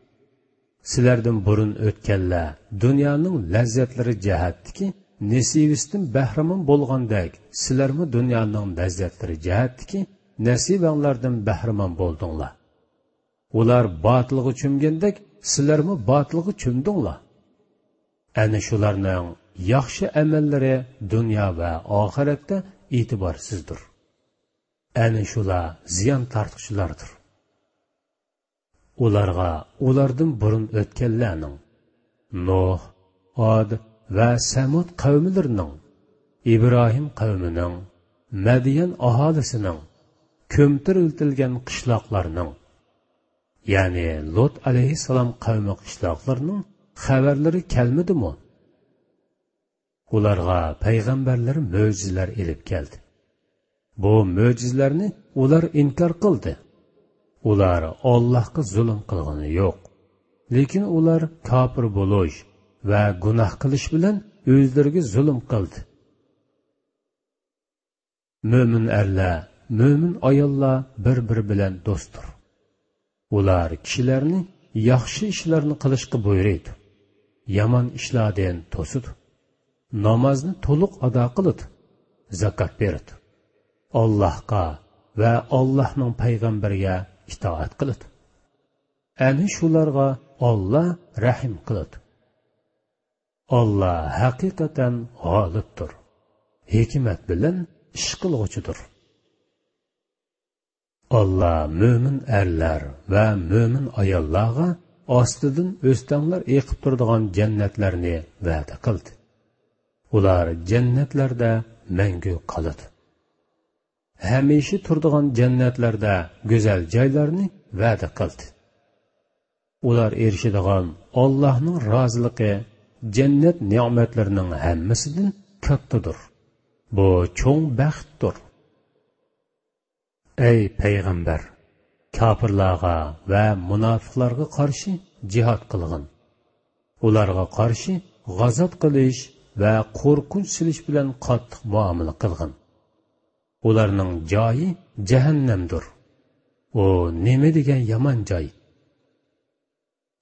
سىلەردىن بۇرۇن ئۆتكەنلەر دۇنيانىڭ لەززەتلىرى جەھەتتىكى نېسىۋىسىدىن بەھرىمەن بولغاندەك، سىلەرمۇ دۇنيانىڭ لەززەتلىرى جەھەتتىكى نېسىۋەڭلاردىن بەھرىمەن بولدۇڭلار. ئۇلار باتىلغا چۆمگەندەك، سىلەرمۇ باتىلغا چۆمدۈڭلار. ئەنە شۇلارنىڭ ياخشى ئەمەللىرى دۇنيا ۋە ئاخىرەتتە ئېتىبارسىزدۇر. ئەنە شۇلار زىيان تارتقۇچىلاردۇر. ئۇلارغا ئۇلاردىن بۇرۇن ئۆتكەنلەرنىڭ، نۇھ، ئاد ۋە سەمۇد قەۋملىرىنىڭ، ئىبراھىم قەۋمىنىڭ، مەديەن ئاھالىسىنىڭ، كۆمتۈرۈلتۈلگەن قىشلاقلارنىڭ، يەنى لۇت ئەلەيھىسسالام قەۋمى قىشلاقلىرىنىڭ خەۋەرلىرى كەلمىدىمۇ؟ ئۇلارغا پەيغەمبەرلەر مۆجىزىلەر ئېلىپ كەلدى. بۇ مۆجىزىلەرنى ئۇلار ئىنكار قىلدى. ئۇلار ئاللاھقا زۇلۇم قىلغىنى يوق. لېكىن ئۇلار كاپىر بولۇش ۋە گۇناھ قىلىش بىلەن ئۆزلىرىگە زۇلۇم قىلدى. مۆمىن ئەرلەر، مۆمىن ئاياللار بىر-بىرى بىلەن دوستتۇر. ئۇلار كىشىلەرنى ياخشى ئىشلارنى قىلىشقا بۇيرۇيدۇ، يامان ئىشلاردىن توسىدۇ. نامازنى تولۇق ئادا قىلىدۇ، زاكات بېرىدۇ. ئاللاھقا ۋە ئاللاھنىڭ پەيغەمبىرىگە ئىتائەت قىلىدۇ. ئەنە شۇلارغا ئاللا رەھىم قىلىدۇ. ئاللا ھەقىقەتەن غالىبتۇر، ھېكمەت بىلەن ئىش قىلغۇچىدۇر. ئاللا مۆمىن ئەرلەر ۋە مۆمىن ئاياللارغا ئاستىدىن ئۆستەڭلەر ئېقىپ تۇرىدىغان جەننەتلەرنى ۋەدە قىلدى. ئۇلار جەننەتلەردە مەڭگۈ قالىدۇ. ھەمىشە تۇرىدىغان جەننەتلەردە گۈزەل جايلارنى ۋەدە قىلدى. ئۇلار ئېرىشىدىغان ئاللاھنىڭ رازىلىقى جەننەت نېمەتلىرىنىڭ ھەممىسىدىن كاتتىدۇر. بۇ چوڭ بەختتۇر. ئەي پەيغەمبەر، كاپىرلارغا ۋە مۇناپىقلارغا قارشى جىھاد قىلغىن. ئۇلارغا قارشى غازات قىلىش ۋە قورقۇنچ سېلىش بىلەن قاتتىق مۇئامىلە قىلغىن. ئۇلارنىڭ جايى جەھەننەمدۇر. ئۇ نېمە دېگەن يامان جاي!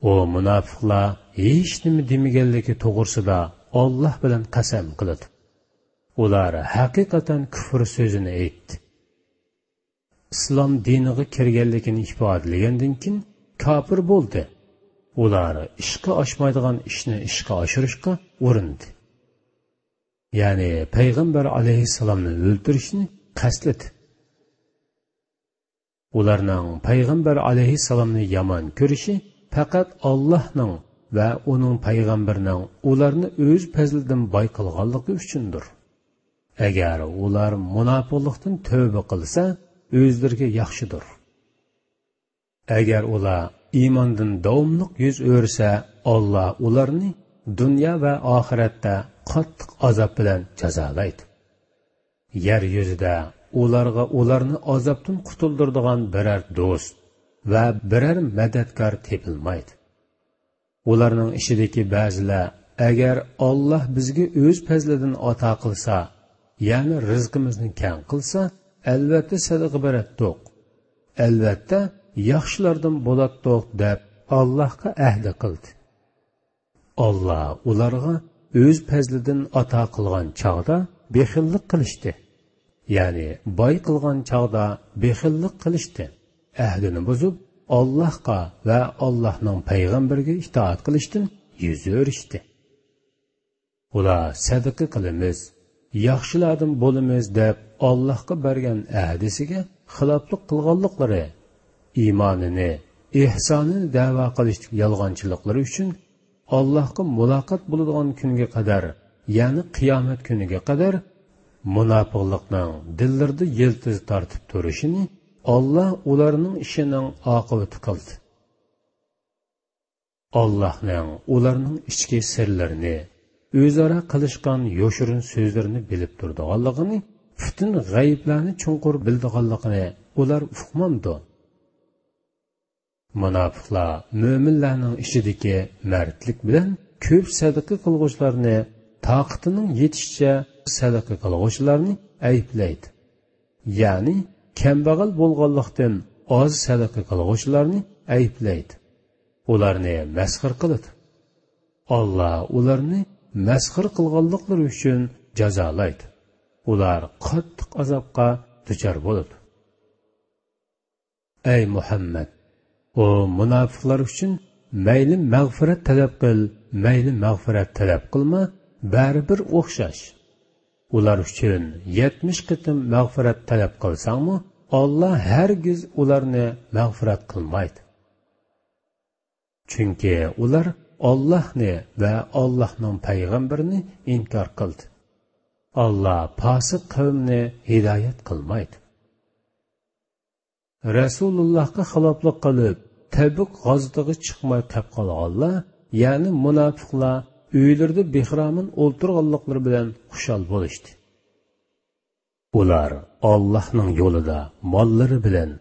ئۇ مۇناپىقلار ھېچنېمە دېمىگەنلىكى توغرىسىدا ئاللاھ بىلەن قەسەم قىلىدۇ. ئۇلار ھەقىقەتەن كۇفر سۆزىنى ئېيتتى. ئىسلام دىنىغا كىرگەنلىكىنى ئىپادىلىگەندىن كېيىن كاپىر بولدى. ئۇلار ئىشقا ئاشمايدىغان ئىشنى ئىشقا ئاشۇرۇشقا ئۇرۇندى. يەنى پەيغەمبەر ئەلەيھىسسالامنى ئۆلتۈرۈشنى قەستلىدى. ئۇلارنىڭ پەيغەمبەر ئەلەيھىسسالامنى يامان كۆرۈشى پەقەت ئاللاھنىڭ ۋە ئۇنىڭ پەيغەمبىرىنىڭ ئۇلارنى ئۆز پەزلىدىن باي قىلغانلىقى ئۈچۈندۇر. ئەگەر ئۇلار مۇناپىقلىقتىن تۆۋبە قىلسا، ئۆزلىرىگە ياخشىدۇر. ئەگەر ئۇلار ئىماندىن داۋاملىق يۈز ئۆرۈسە، ئاللا ئۇلارنى دۇنيا ۋە ئاخىرەتتە قاتتىق ئازاب بىلەن جازالايدۇ. يەر يۈزىدە ئۇلارغا ئۇلارنى ئازابتىن قۇتۇلدۇرىدىغان بىرەر دوست ۋە بىرەر مەدەتكار تېپىلمايدۇ. ئۇلارنىڭ ئىچىدىكى بەزىلەر، ئەگەر ئاللا بىزگە ئۆز پەزلىدىن ئاتا قىلسا، يەنى رىزقىمىزنى كەڭ قىلسا، ئەلۋەتتە سەدىقە بېرەتتۇق. ئەلۋەتتە ياخشىلاردىن بولاتتۇق، دەپ ئاللاھقا ئەھدى قىلدى. ئاللا ئۇلارغا ئۆز پەزلىدىن ئاتا قىلغان چاغدا بېخىللىق قىلىشتى. يەنى باي قىلغان چاغدا بېخىللىق قىلىشتى. ئەھدىنى بۇزۇپ، ئاللاھقا ۋە ئاللاھنىڭ پەيغەمبىرىگە ئىتائەت قىلىشتىن يۈز ئۆرۈشتى. ئۇلار سەدىقە قىلىمىز، ياخشىلاردىن بولىمىز دەپ ئاللاھقا بەرگەن ئەھدىسىگە خىلاپلىق قىلغانلىقلىرى، ئىمانىنى، ئېھسانىنى دەۋا قىلىشتىكى يالغانچىلىقلىرى ئۈچۈن ئاللاھقا مۇلاقات بولىدىغان كۈنگە قەدەر، يەنى قىيامەت كۈنىگە قەدەر مۇناپىقلىقنىڭ دىللىرىدا يىلتىز تارتىپ تۇرۇشىنى ئاللا ئۇلارنىڭ ئىشىنىڭ ئاقىۋىتى قىلدى. ئاللاھنىڭ ئۇلارنىڭ ئىچكى سىرلىرىنى، ئۆزئارا قىلىشقان يوشۇرۇن سۆزلىرىنى بىلىپ تۇرىدىغانلىقىنى، پۈتۈن غەيىبلەرنى چوڭقۇر بىلىدىغانلىقىنى ئۇلار ئۇقمامدۇ؟ مۇناپىقلار مۆمىنلەرنىڭ ئىچىدىكى مەردلىك بىلەن كۆپ سەدىقە قىلغۇچىلارنى، تاقىتىنىڭ يېتىشىچە سەدىقە قىلغۇچىلارنى ئەيىبلەيدۇ. يەنى كەمبەغەل بولغانلىقتىن ئاز سەدىقە قىلغۇچىلارنى ئەيىبلەيدۇ. ئۇلارنى مەسخىرە قىلىدۇ. ئاللا ئۇلارنى مەسخىرە قىلغانلىقلىرى ئۈچۈن جازالايدۇ. ئۇلار قاتتىق ئازابقا دۇچار بولىدۇ. ئەي مۇھەممەد! ئۇ مۇناپىقلار ئۈچۈن مەيلى مەغپىرەت تەلەپ قىل، مەيلى مەغپىرەت تەلەپ قىلما، بەرىبىر ئوخشاش. ئۇلار ئۈچۈن يەتمىش قېتىم مەغپىرەت تەلەپ قىلساڭمۇ، ئاللا ھەرگىز ئۇلارنى مەغپىرەت قىلمايدۇ. چۈنكى ئۇلار ئاللاھنى ۋە ئاللاھنىڭ پەيغەمبىرىنى ئىنكار قىلدى. ئاللا پاسىق قەۋمنى ھىدايەت قىلمايدۇ. رەسۇلۇللاھقا خىلاپلىق قىلىپ، تەبۈك غازىتىغا چىقماي قېپ قالغانلار، يەنى مۇناپىقلار ئۆيلىرىدە بىخىرامان ئولتۇرغانلىقلىرى بىلەن خۇشال بولۇشتى. ئۇلار ئاللاھنىڭ يولىدا ماللىرى بىلەن،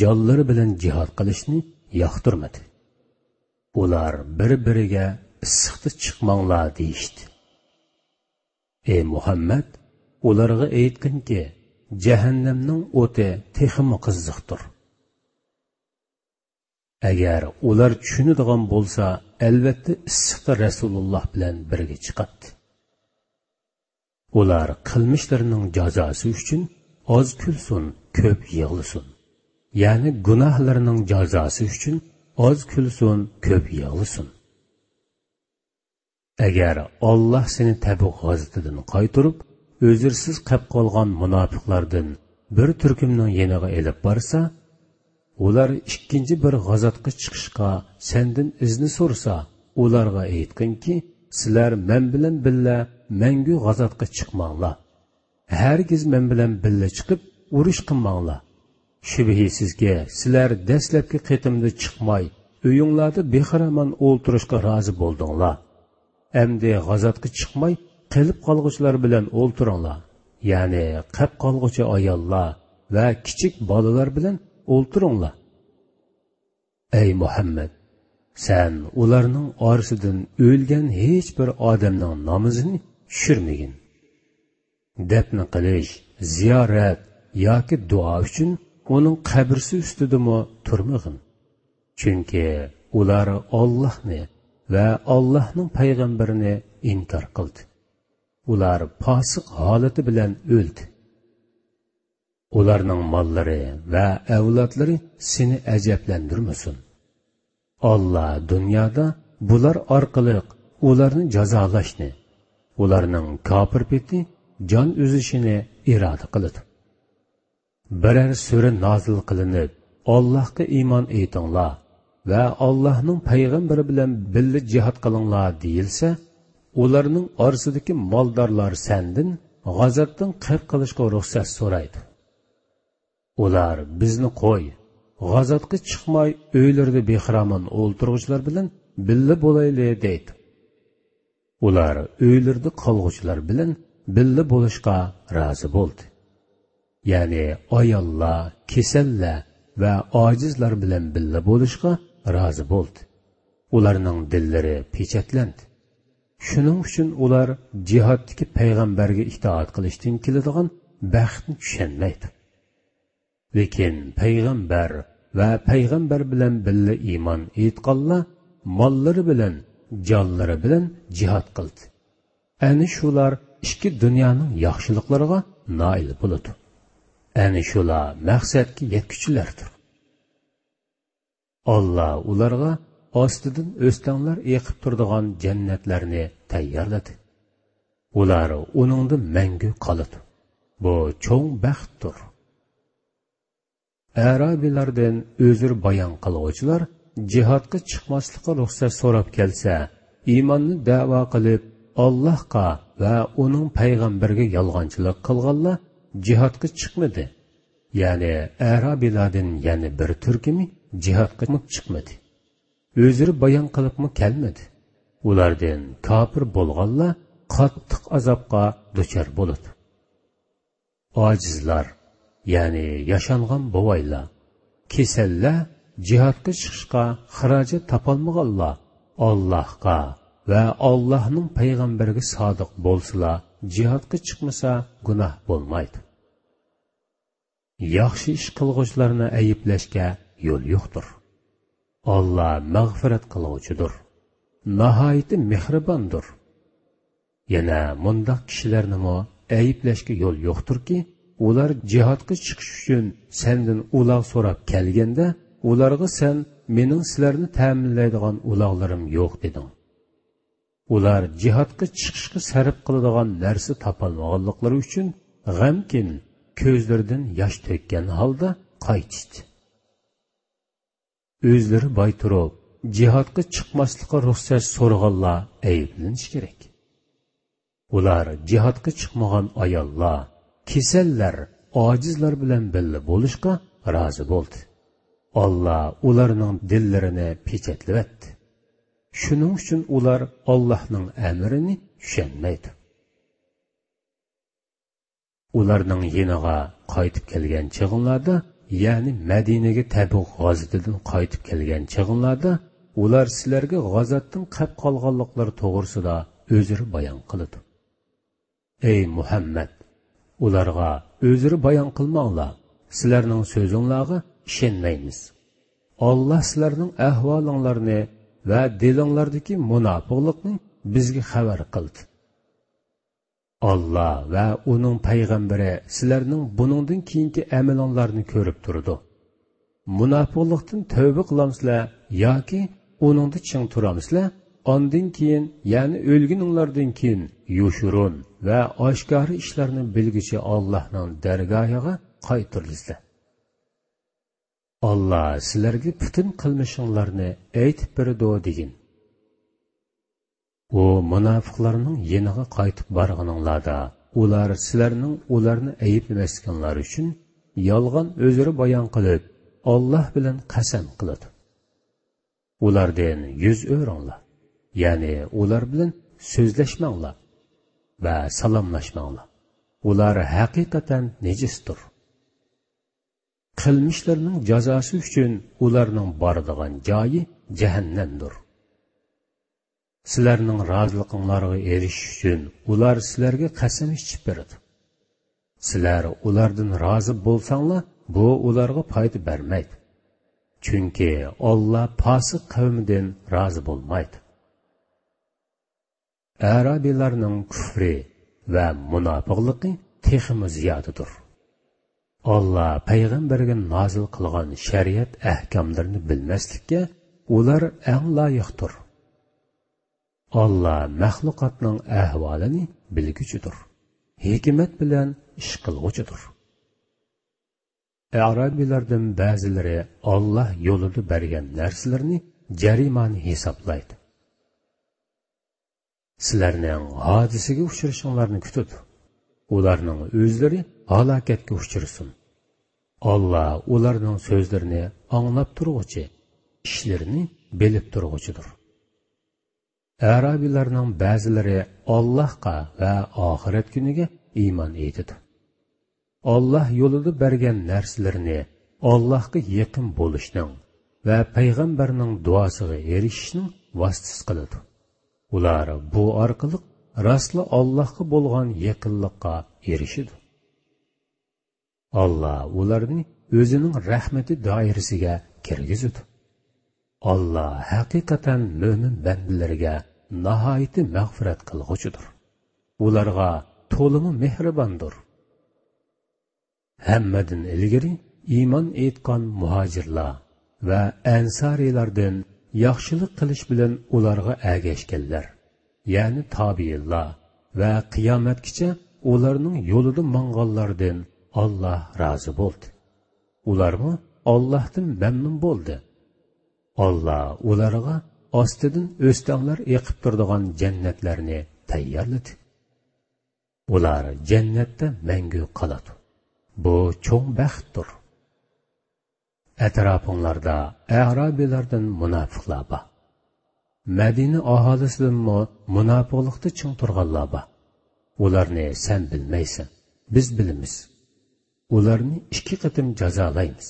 جانلىرى بىلەن جىھاد قىلىشنى ياقتۇرمىدى. ئۇلار بىر-بىرىگە ئىسسىقتا چىقماڭلار دېيىشتى. ئى مۇھەممەد، ئۇلارغا ئېيتقىنكى، جەھەننەمنىڭ ئوتى تېخىمۇ قىزىقتۇر. ئەگەر ئۇلار چۈشىنىدىغان بولسا، ئەلۋەتتە ئىسسىقتا رەسۇلۇللاھ بىلەن بىرگە چىقاتتى. ئۇلار قىلمىشلىرىنىڭ جازاسى ئۈچۈن ئاز كۈلسۇن، كۆپ يىغلىسۇن. يەنى گۇناھلىرىنىڭ جازاسى ئۈچۈن ئاز كۈلسۇن، كۆپ يىغلىسۇن. ئەگەر ئاللاھ سېنى تەبۇك غازىتىدىن قايتۇرۇپ، ئۆزرىسىز قېپ قالغان مۇناپىقلاردىن بىر تۈركۈمنىڭ يېنىغا ئېلىپ بارسا، ئۇلار ئىككىنچى بىر غازاتقا چىقىشقا سەندىن ئىزنى سورىسا، ئۇلارغا ئېيتقىنكى، سىلەر مەن بىلەن بىللە مەڭگۈ غازاتقا چىقماڭلار. ھەرگىز مەن بىلەن بىللە چىقىپ ئۇرۇش قىلماڭلار. شۈبھىسىزكى، سىلەر دەسلەپكى قېتىمدا چىقماي، ئۆيۈڭلاردا بىخىرامان ئولتۇرۇشقا رازى بولدۇڭلار. ئەمدى غازاتقا چىقماي، قېلىپ قالغۇچىلار بىلەن ئولتۇرۇڭلار. يەنى قېپ قالغۇچى ئاياللار ۋە كىچىك بالىلار بىلەن ئولتۇرۇڭلار. ئەي مۇھەممەد! سەن ئۇلارنىڭ ئارىسىدىن ئۆلگەن ھېچ بىر ئادەمنىڭ نامىزىنى چۈشۈرمىگىن. دەپنە قىلىش، زىيارەت ياكى دۇئا ئۈچۈن ئۇنىڭ قەبرىسى ئۈستىدىمۇ تۇرمىغىن. چۈنكى ئۇلار ئاللاھنى ۋە ئاللاھنىڭ پەيغەمبىرىنى ئىنكار قىلدى. ئۇلار پاسىق ھالىتى بىلەن ئۆلدى. ئۇلارنىڭ ماللىرى ۋە ئەۋلادلىرى سېنى ئەجەبلەندۈرمىسۇن. ئاللا دۇنيادا بۇلار ئارقىلىق ئۇلارنى جازالاشنى، ئۇلارنىڭ كاپىر پېتى جان ئۈزۈشىنى ئىرادە قىلىدۇ. بىرەر سۈرە نازىل قىلىنىپ، ئاللاھقا ئىمان ئېيتىڭلار ۋە ئاللاھنىڭ پەيغەمبىرى بىلەن بىللە جىھاد قىلىڭلار دېيىلسە، ئۇلارنىڭ ئارىسىدىكى مالدارلار سەندىن غازاتتىن قېپ قىلىشقا رۇخسەت سورايدۇ. ئۇلار، بىزنى قوي، غازاتقا چىقماي ئۆيلىرىدە بىخىرامان ئولتۇرغۇچىلار بىلەن بىللە بولايلى دەيدۇ. ئۇلار ئۆيلىرىدە قالغۇچىلار بىلەن بىللە بولۇشقا رازى بولدى. يەنى ئاياللار، كېسەللەر ۋە ئاجىزلار بىلەن بىللە بولۇشقا رازى بولدى. ئۇلارنىڭ دىللىرى پېچەتلەندى. شۇنىڭ ئۈچۈن ئۇلار جىھادتىكى پەيغەمبەرگە ئىتائەت قىلىشتىن كېلىدىغان بەختنى چۈشەنمەيدۇ. لېكىن پەيغەمبەر ۋە پەيغەمبەر بىلەن بىللە ئىمان ئېيتقانلار ماللىرى بىلەن، جانلىرى بىلەن جىھاد قىلدى. ئەنە شۇلار ئىككى دۇنيانىڭ ياخشىلىقلىرىغا نائىل بولىدۇ. ئەنە شۇلار مەقسەتكە يەتكۈچىلەردۇر. ئاللا ئۇلارغا ئاستىدىن ئۆستەڭلەر ئېقىپ تۇرىدىغان جەننەتلەرنى تەييارلىدى. ئۇلار ئۇنىڭدا مەڭگۈ قالىدۇ. بۇ چوڭ بەختتۇر. ئەرابىيلاردىن ئۆزرە بايان قىلغۇچىلار جىھادقا چىقماسلىققا رۇخسەت سوراپ كەلسە، ئىماننى دەۋا قىلىپ، ئاللاھقا ۋە ئۇنىڭ پەيغەمبىرىگە يالغانچىلىق قىلغانلار جىھادقا چىقمىدى. يەنى ئەرابىيلاردىن يەنە بىر تۈركۈمى جىھادقا چىقمىدى. ئۆزرە بايان قىلىپمۇ كەلمىدى. ئۇلاردىن كاپىر بولغانلار قاتتىق ئازابقا دۇچار بولىدۇ. ئاجىزلار، يەنى ياشانغان بوۋايلار، كېسەللەر، جىھادقا چىقىشقا خىراجەت تاپالمىغانلار ئاللاھقا ۋە ئاللاھنىڭ پەيغەمبىرىگە سادىق بولسىلا، جىھادقا چىقمىسا گۇناھ بولمايدۇ. ياخشى ئىش قىلغۇچىلارنى ئەيىبلەشكە يول يوقتۇر. ئاللا مەغپىرەت قىلغۇچىدۇر، ناھايىتى مېھرىباندۇر. يەنە مۇنداق كىشىلەرنىمۇ ئەيىبلەشكە يول يوقتۇركى، ئۇلار جىھادقا چىقىش ئۈچۈن سەندىن ئۇلاغ سوراپ كەلگەندە، ئۇلارغا سەن مېنىڭ سىلەرنى تەمىنلەيدىغان ئۇلاغلىرىم يوق دېدىڭ. ئۇلار جىھادقا چىقىشقا سەرپ قىلىدىغان نەرسە تاپالمىغانلىقلىرى ئۈچۈن غەمكىن، كۆزلىرىدىن ياش تۆككەن ھالدا قايتىشتى. ئۆزلىرى باي تۇرۇپ، جىھادقا چىقماسلىققا رۇخسەت سورىغانلار ئەيىبلىنىشى كېرەك. ئۇلار جىھادقا چىقمىغان ئاياللار، كېسەللەر، ئاجىزلار بىلەن بىللە بولۇشقا رازى بولدى. ئاللا ئۇلارنىڭ دىللىرىنى پېچەتلىۋەتتى. شۇنىڭ ئۈچۈن ئۇلار ئاللاھنىڭ ئەمرىنى چۈشەنمەيدۇ. ئۇلارنىڭ يېنىغا قايتىپ كەلگەن چېغىڭلاردا، يەنى مەدىنىگە تەبۇك غازىتىدىن قايتىپ كەلگەن چېغىڭلاردا، ئۇلار سىلەرگە غازاتتىن قەپ قالغانلىقلىرى توغرىسىدا ئۆزرە بايان قىلىدۇ. ئەي مۇھەممەد! ئۇلارغا ئۆزرە بايان قىلماڭلار، سىلەرنىڭ سۆزۈڭلارغا ئىشەنمەيمىز. ئاللا سىلەرنىڭ ئەھۋالىڭلارنى ۋە دىلىڭلاردىكى مۇناپىقلىقنى بىزگە خەۋەر قىلدى. ئاللا ۋە ئۇنىڭ پەيغەمبىرى سىلەرنىڭ بۇنىڭدىن كېيىنكى ئەمىلىڭلارنى كۆرۈپ تۇرىدۇ. مۇناپىقلىقتىن تەۋبە قىلامسىلەر ياكى ئۇنىڭدا چىڭ تۇرامسىلەر؟ ئاندىن كېيىن، يەنى ئۆلگىنىڭلاردىن كېيىن يوشۇرۇن ۋە ئاشكارا ئىشلارنى بىلگۈچى ئاللاھنىڭ دەرگاھىغا قايتۇرۇلىسىلەر. ئاللا سىلەرگە پۈتۈن قىلمىشىڭلارنى ئېيتىپ بېرىدۇ دېگىن. ئۇ مۇناپىقلارنىڭ يېنىغا قايتىپ بارغىنىڭلاردا، ئۇلار سىلەرنىڭ ئۇلارنى ئەيىبلىمەسلىكىڭلار ئۈچۈن يالغان ئۆزرە بايان قىلىپ، ئاللا بىلەن قەسەم قىلىدۇ. ئۇلاردىن يۈز ئۆرۈڭلار، يەنى ئۇلار بىلەن سۆزلەشمەڭلار ۋە سالاملاشماڭلار. ئۇلار ھەقىقەتەن نىجىستۇر. قىلمىشلىرىنىڭ جازاسى ئۈچۈن ئۇلارنىڭ بارىدىغان جايى جەھەننەمدۇر. سىلەرنىڭ رازىلىقىڭلارغا ئېرىشىش ئۈچۈن ئۇلار سىلەرگە قەسەم ئىچىپ بېرىدۇ. سىلەر ئۇلاردىن رازى بولساڭلار، بۇ ئۇلارغا پايدا بەرمەيدۇ. چۈنكى ئاللا پاسىق قەۋمىدىن رازى بولمايدۇ. ئەرابىيلارنىڭ كۈفرى ۋە مۇناپىقلىقى تېخىمۇ زىيادىدۇر. ئاللا پەيغەمبەرگە نازىل قىلغان شەرىئەت ئەھكاملىرىنى بىلمەسلىككە ئۇلار ئەڭ لايىقتۇر. ئاللا مەخلۇقاتنىڭ ئەھۋالىنى بىلگۈچىدۇر، ھېكمەت بىلەن ئىش قىلغۇچىدۇر. ئەرابىيلاردىن بەزىلىرى ئاللا يولىدا بەرگەن نەرسىلىرىنى جەرىمانە ھېسابلايدۇ. سىلەرنىڭ ھادىسىگە ئۇچرىشىڭلارنى كۈتىدۇ. ئۇلارنىڭ ئۆزلىرى ھالاكەتكە ئۇچرىسۇن. ئاللا ئۇلارنىڭ سۆزلىرىنى ئاڭلاپ تۇرغۇچى، ئىشلىرىنى بىلىپ تۇرغۇچىدۇر. ئەرابىيلارنىڭ بەزىلىرى ئاللاھقا ۋە ئاخىرەت كۈنىگە ئىمان ئېيتىدۇ. ئاللاھ يولىدا بەرگەن نەرسىلىرىنى ئاللاھقا يېقىن بولۇشنىڭ ۋە پەيغەمبەرنىڭ دۇئاسىغا ئېرىشىشنىڭ ۋاسىتىسى قىلىدۇ. ئۇلار بۇ ئارقىلىق راستلا ئاللاھقا بولغان يېقىنلىققا ئېرىشىدۇ. ئاللا ئۇلارنى ئۆزىنىڭ رەھمىتى دائىرىسىگە كىرگۈزىدۇ. ئاللا ھەقىقەتەن مۆمىن بەندىلىرىگە ناھايىتى مەغپىرەت قىلغۇچىدۇر. ئۇلارغا تولىمۇ مېھرىباندۇر. ھەممىدىن ئىلگىرى ئىمان ئېيتقان مۇھاجىرلار ۋە ئەنسارىيلاردىن ياخشىلىق قىلىش بىلەن ئۇلارغا ئەگەشكەنلەر، يەنى تابىئىنلار ۋە قىيامەتكىچە ئۇلارنىڭ يولىدا ماڭغانلاردىن ئاللا رازى بولدى. ئۇلارمۇ ئاللاھتىن مەمنۇن بولدى. ئاللا ئۇلارغا ئاستىدىن ئۆستەڭلەر ئېقىپ تۇرىدىغان جەننەتلەرنى تەييارلىدى. ئۇلار جەننەتتە مەڭگۈ قالىدۇ. بۇ چوڭ بەختتۇر. ئەتراپىڭلاردا ئەرابىيلاردىن مۇناپىقلار بار. مەدىنە ئاھالىسىدىنمۇ مۇناپىقلىقتا چىڭ تۇرغانلار بار. ئۇلارنى سەن بىلمەيسەن، بىز بىلىمىز. ئۇلارنى ئىككى قېتىم جازالايمىز.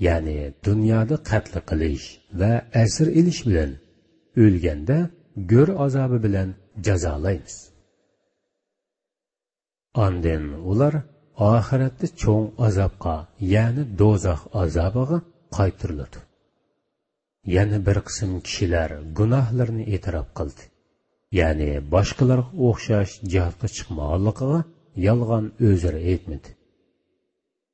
يەنى دۇنيادا قەتل قىلىش ۋە ئەسىر ئېلىش بىلەن، ئۆلگەندە گۆر ئازابى بىلەن جازالايمىز. ئاندىن ئۇلار ئاخىرەتتە چوڭ ئازابقا، يەنى دوزاخ ئازابىغا قايتۇرۇلىدۇ. يەنە بىر قىسىم كىشىلەر گۇناھلىرىنى ئېتىراپ قىلدى. يەنى باشقىلارغا ئوخشاش جىھادقا چىقمىغانلىقىغا يالغان ئۆزرە ئېيتمىدى.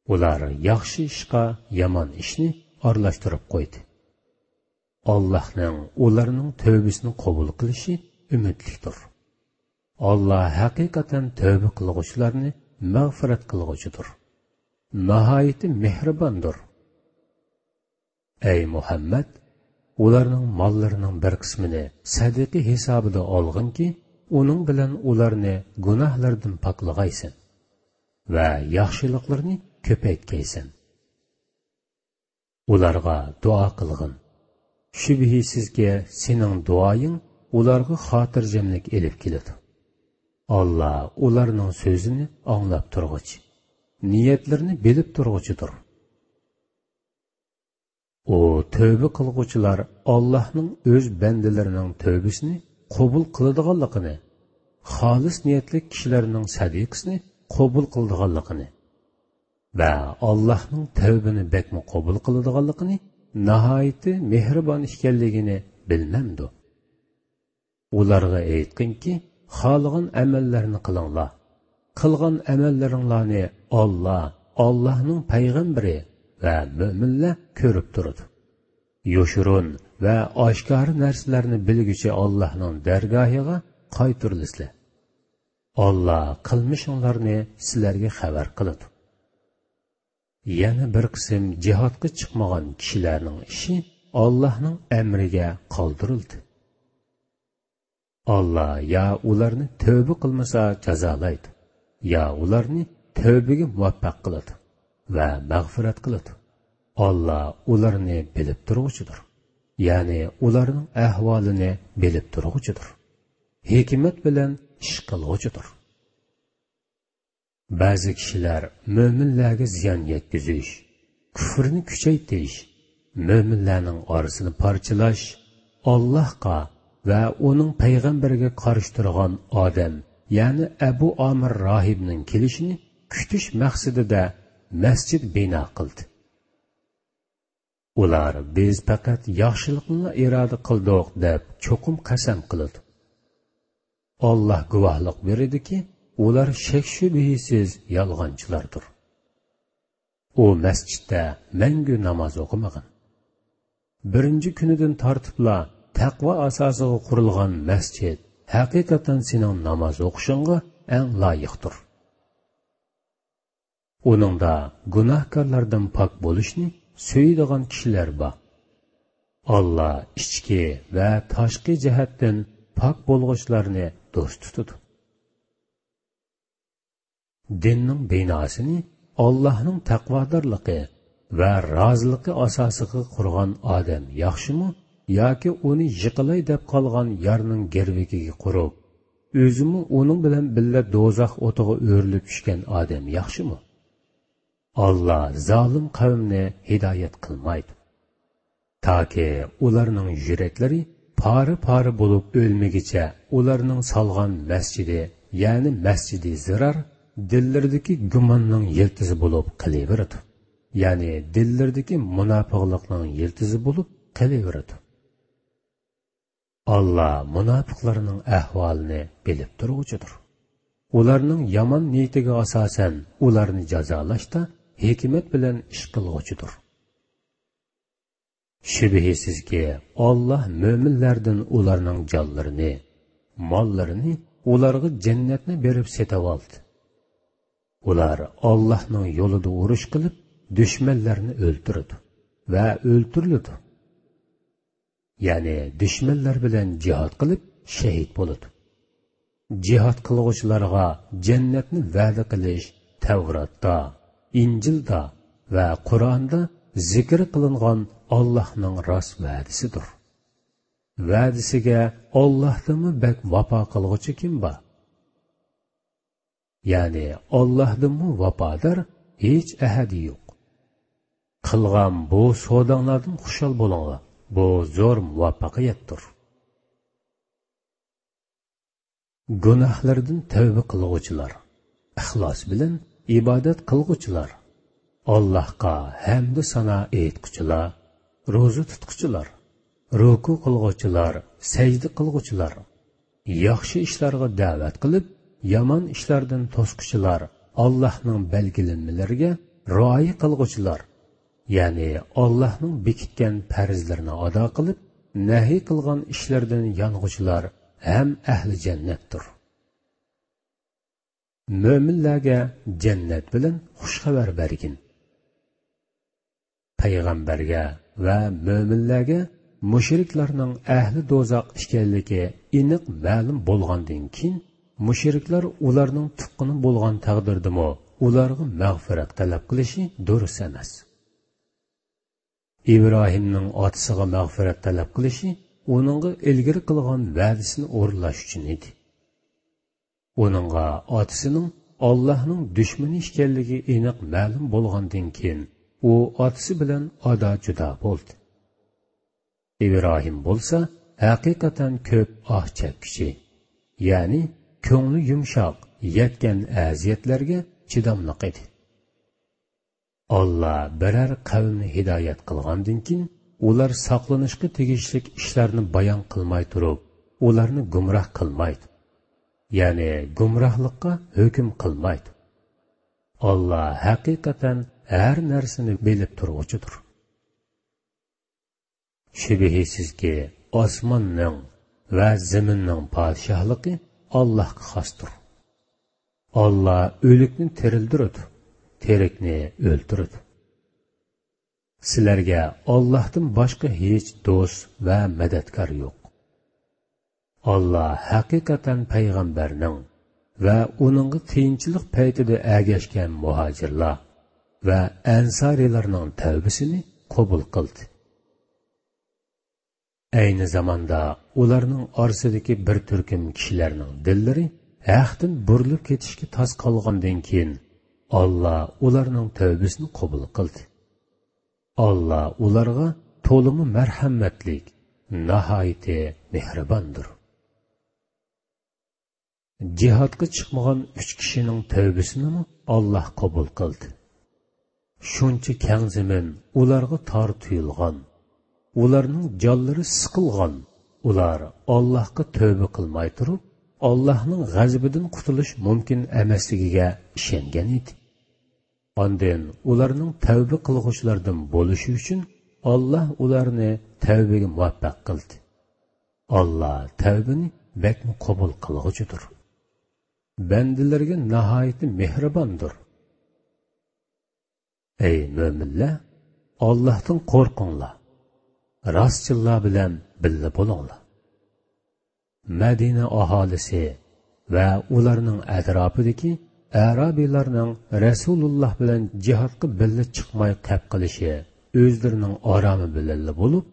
ئۇلار ياخشى ئىشقا يامان ئىشنى ئارىلاشتۇرۇپ قويدى. ئاللاھنىڭ ئۇلارنىڭ تۆۋبىسىنى قوبۇل قىلىشى ئۈمىدلىكتۇر. ئاللا ھەقىقەتەن تۆۋبە قىلغۇچىلارنى مەغپىرەت قىلغۇچىدۇر. ناھايىتى مېھرىباندۇر. ئەي مۇھەممەد، ئۇلارنىڭ ماللىرىنىڭ بىر قىسمىنى سەدىقە ھېسابىدا ئالغىنكى، ئۇنىڭ بىلەن ئۇلارنى گۇناھلىرىدىن پاكلىغايسەن ۋە ياخشىلىقلىرىنى كۆپەيتكەيسەن. ئۇلارغا دۇئا قىلغىن. شۈبھىسىزكى، سېنىڭ دۇئايىڭ ئۇلارغا خاتىرجەملىك ئېلىپ كېلىدۇ. ئاللا ئۇلارنىڭ سۆزىنى ئاڭلاپ تۇرغۇچى، نىيەتلىرىنى بىلىپ تۇرغۇچىدۇر. ئۇ تۆۋبە قىلغۇچىلار ئاللاھنىڭ ئۆز بەندىلىرىنىڭ تۆۋبىسىنى قوبۇل قىلىدىغانلىقىنى، خالىس نىيەتلىك كىشىلەرنىڭ سەدىقىسىنى قوبۇل قىلىدىغانلىقىنى ۋە ئاللاھنىڭ تەۋبىنى بەكمۇ قوبۇل قىلىدىغانلىقىنى، ناھايىتى مېھرىبان ئىكەنلىكىنى بىلمەمدۇ؟ ئۇلارغا ئېيتقىنكى، خالىغان ئەمەللەرنى قىلىڭلار. قىلغان ئەمەللىرىڭلارنى ئاللا، ئاللاھنىڭ پەيغەمبىرى ۋە مۆمىنلەر كۆرۈپ تۇرىدۇ. يوشۇرۇن ۋە ئاشكارا نەرسىلەرنى بىلگۈچى ئاللاھنىڭ دەرگاھىغا قايتۇرۇلىسىلەر. ئاللا قىلمىشىڭلارنى سىلەرگە خەۋەر قىلىدۇ. يەنە بىر قىسىم جىھادقا چىقمىغان كىشىلەرنىڭ ئىشى ئاللاھنىڭ ئەمرىگە قالدۇرۇلدى. ئاللا يا ئۇلارنى تۆۋبە قىلمىسا جازالايدۇ، يا ئۇلارنى تۆۋبىگە مۇۋەپپەق قىلىدۇ ۋە مەغپىرەت قىلىدۇ. ئاللا ئۇلارنى بىلىپ تۇرغۇچىدۇر. يەنى ئۇلارنىڭ ئەھۋالىنى بىلىپ تۇرغۇچىدۇر. ھېكمەت بىلەن ئىش قىلغۇچىدۇر. بەزى كىشىلەر مۆمىنلەرگە زىيان يەتكۈزۈش، كۇفرنى كۈچەيتىش، مۆمىنلەرنىڭ ئارىسىنى پارچىلاش، ئاللاھقا ۋە ئۇنىڭ پەيغەمبىرىگە قارشى تۇرغان ئادەم، يەنى ئەبۇ ئامىر راھىبنىڭ كېلىشىنى كۈتۈش مەقسىتىدە مەسچىت بىنا قىلدى. ئۇلار، بىز پەقەت ياخشىلىقنىلا ئىرادە قىلدۇق، دەپ چوقۇم قەسەم قىلىدۇ. ئاللا گۇۋاھلىق بېرىدۇكى، ئۇلار شەك-شۈبھىسىز يالغانچىلاردۇر. ئۇ مەسچىتتە مەڭگۈ ناماز ئوقۇمىغىن. بىرىنچى كۈنىدىن تارتىپلا تەقۋا ئاساسىغا قۇرۇلغان مەسچىت ھەقىقەتەن سېنىڭ ناماز ئوقۇشۇڭغا ئەڭ لايىقتۇر. ئۇنىڭدا گۇناھكارلاردىن پاك بولۇشنى سۆيىدىغان كىشىلەر بار. ئاللا ئىچكى ۋە تاشقى جەھەتتىن پاك بولغۇچىلارنى دوست تۇتىدۇ. دىننىڭ بىناسىنى ئاللاھنىڭ تەقۋادارلىقى ۋە رازىلىقى ئاساسىغا قۇرغان ئادەم ياخشىمۇ ياكى ئۇنى يىقىلاي دەپ قالغان يارنىڭ گىرۋىكىگە قۇرۇپ، ئۆزىمۇ ئۇنىڭ بىلەن بىللە دوزاخ ئوتىغا ئۆرۈلۈپ چۈشكەن ئادەم ياخشىمۇ؟ ئاللا زالىم قەۋمنى ھىدايەت قىلمايدۇ. تاكى ئۇلارنىڭ يۈرەكلىرى پارە-پارە بولۇپ ئۆلمىگىچە ئۇلارنىڭ سالغان مەسچىتى، يەنى مەسچىتى زىرار، دىللىرىدىكى گۇماننىڭ يىلتىزى بولۇپ قېلىۋېرىدۇ. يەنى دىللىرىدىكى مۇناپىقلىقنىڭ يىلتىزى بولۇپ قېلىۋېرىدۇ. ئاللا مۇناپىقلارنىڭ ئەھۋالىنى بىلىپ تۇرغۇچىدۇر. ئۇلارنىڭ يامان نىيىتىگە ئاساسەن ئۇلارنى جازالاشتا ھېكمەت بىلەن ئىش قىلغۇچىدۇر. شۈبھىسىزكى، ئاللا مۆمىنلەردىن ئۇلارنىڭ جانلىرىنى، ماللىرىنى ئۇلارغا جەننەتنى بېرىپ سېتىۋالدى. ئۇلار ئاللاھنىڭ يولىدا ئۇرۇش قىلىپ، دۈشمەنلەرنى ئۆلتۈرىدۇ ۋە ئۆلتۈرۈلىدۇ. يەنى دۈشمەنلەر بىلەن جىھاد قىلىپ شېھىت بولىدۇ. جىھاد قىلغۇچىلارغا جەننەتنى ۋەدە قىلىش تەۋراتتا، ئىنجىلدا ۋە قۇرئاندا زىكىر قىلىنغان ئاللاھنىڭ راست ۋەدىسىدۇر. ۋەدىسىگە ئاللاھتىنمۇ بەك ۋاپا قىلغۇچى كىم بار؟ يەنى ئاللاھتىنمۇ ۋاپادار ھېچ ئەھەدى يوق. قىلغان بۇ سوداڭلاردىن خۇشال بولۇڭلار، بۇ زور مۇۋەپپەقىيەتتۇر. گۇناھلىرىدىن تەۋبە قىلغۇچىلار، ئىخلاس بىلەن ئىبادەت قىلغۇچىلار، ئاللاھقا ھەمدۇ سانا ئېيتقۇچىلار، روزا تۇتقۇچىلار، رۇكۇ قىلغۇچىلار، سەجدە قىلغۇچىلار، ياخشى ئىشلارغا دەۋەت قىلىپ، يامان ئىشلاردىن توسقۇچىلار، ئاللاھنىڭ بەلگىلىمىلىرىگە رىئايە قىلغۇچىلار، يەنى ئاللاھنىڭ بېكىتكەن پەرزلىرىنى ئادا قىلىپ، نەھى قىلغان ئىشلىرىدىن يانغۇچىلار ھەم ئەھلى جەننەتتۇر. مۆمىنلەرگە جەننەت بىلەن خۇش خەۋەر بەرگىن. پەيغەمبەرگە ۋە مۆمىنلەرگە مۇشرىكلارنىڭ ئەھلى دوزاخ ئىكەنلىكى ئېنىق مەلۇم بولغاندىن كېيىن، مۇشرىكلار ئۇلارنىڭ تۇغقىنى بولغان تەقدىردىمۇ ئۇلارغا مەغپىرەت تەلەپ قىلىشى دۇرۇس ئەمەس. ئىبراھىمنىڭ ئاتىسىغا مەغپىرەت تەلەپ قىلىشى ئۇنىڭغا ئىلگىرى قىلغان ۋەدىسىنى ئورۇنلاش ئۈچۈن ئىدى. ئۇنىڭغا ئاتىسىنىڭ ئاللاھنىڭ دۈشمىنى ئىكەنلىكى ئېنىق مەلۇم بولغاندىن كېيىن، ئۇ ئاتىسى بىلەن ئادا-جۇدا بولدى. ئىبراھىم بولسا ھەقىقەتەن كۆپ ئاھ چەككۈچى، يەنى كۆڭلى يۇمشاق، يەتكەن ئەزىيەتلەرگە چىداملىق ئىدى. ئاللا بىرەر قەۋمنى ھىدايەت قىلغاندىن كېيىن، ئۇلار ساقلىنىشقا تېگىشلىك ئىشلارنى بايان قىلماي تۇرۇپ، ئۇلارنى گۇمراھ قىلمايدۇ. يەنى گۇمراھلىققا ھۆكۈم قىلمايدۇ. ئاللا ھەقىقەتەن ھەر نەرسىنى بىلىپ تۇرغۇچىدۇر. شۈبھىسىزكى، ئاسماننىڭ ۋە زېمىننىڭ پادىشاھلىقى ئاللاھقا خاستۇر. ئاللا ئۆلۈكنى تىرىلدۈرىدۇ، تىرىكنى ئۆلتۈرىدۇ. سىلەرگە ئاللاھتىن باشقا ھېچ دوست ۋە مەدەتكار يوق. ئاللا ھەقىقەتەن پەيغەمبەرنىڭ ۋە ئۇنىڭغا قىيىنچىلىق پەيتىدە ئەگەشكەن مۇھاجىرلار ۋە ئەنسارىيلارنىڭ تەۋبىسىنى قوبۇل قىلدى. ئەينى زاماندا ئۇلارنىڭ ئارىسىدىكى بىر تۈركۈم كىشىلەرنىڭ دىللىرى ھەقتىن بۇرۇلۇپ كېتىشكە تاس قالغاندىن كېيىن، ئاللا ئۇلارنىڭ تەۋبىسىنى قوبۇل قىلدى. ئاللا ئۇلارغا تولىمۇ مەرھەمەتلىك، ناھايىتى مېھرىباندۇر. جىھادقا چىقمىغان ئۈچ كىشىنىڭ تەۋبىسىنىمۇ ئاللا قوبۇل قىلدى. شۇنچە كەڭ زېمىن ئۇلارغا تار تۇيۇلغان، ئۇلارنىڭ جانلىرى سىقىلغان، ئۇلار ئاللاھقا تەۋبە قىلماي تۇرۇپ، ئاللاھنىڭ غەزىپىدىن قۇتۇلۇش مۇمكىن ئەمەسلىكىگە ئىشەنگەن ئىدى. ئاندىن ئۇلارنىڭ تەۋبە قىلغۇچىلاردىن بولۇشى ئۈچۈن، ئاللا ئۇلارنى تەۋبىگە مۇۋەپپەق قىلدى. ئاللا تەۋبىنى بەكمۇ قوبۇل قىلغۇچىدۇر. بەندىلىرىگە ناھايىتى مېھرىباندۇر. ئەي مۆمىنلەر، ئاللاھتىن قورقۇڭلار، راستچىللار بىلەن بىللە بولۇڭلار. مەدىنە ئاھالىسى ۋە ئۇلارنىڭ ئەتراپىدىكى ئەرابىيلارنىڭ رەسۇلۇللا بىلەن جىھادقا بىللە چىقماي قەپ قىلىشى ئۆزلىرىنىڭ ئارامى بىلەنلا بولۇپ،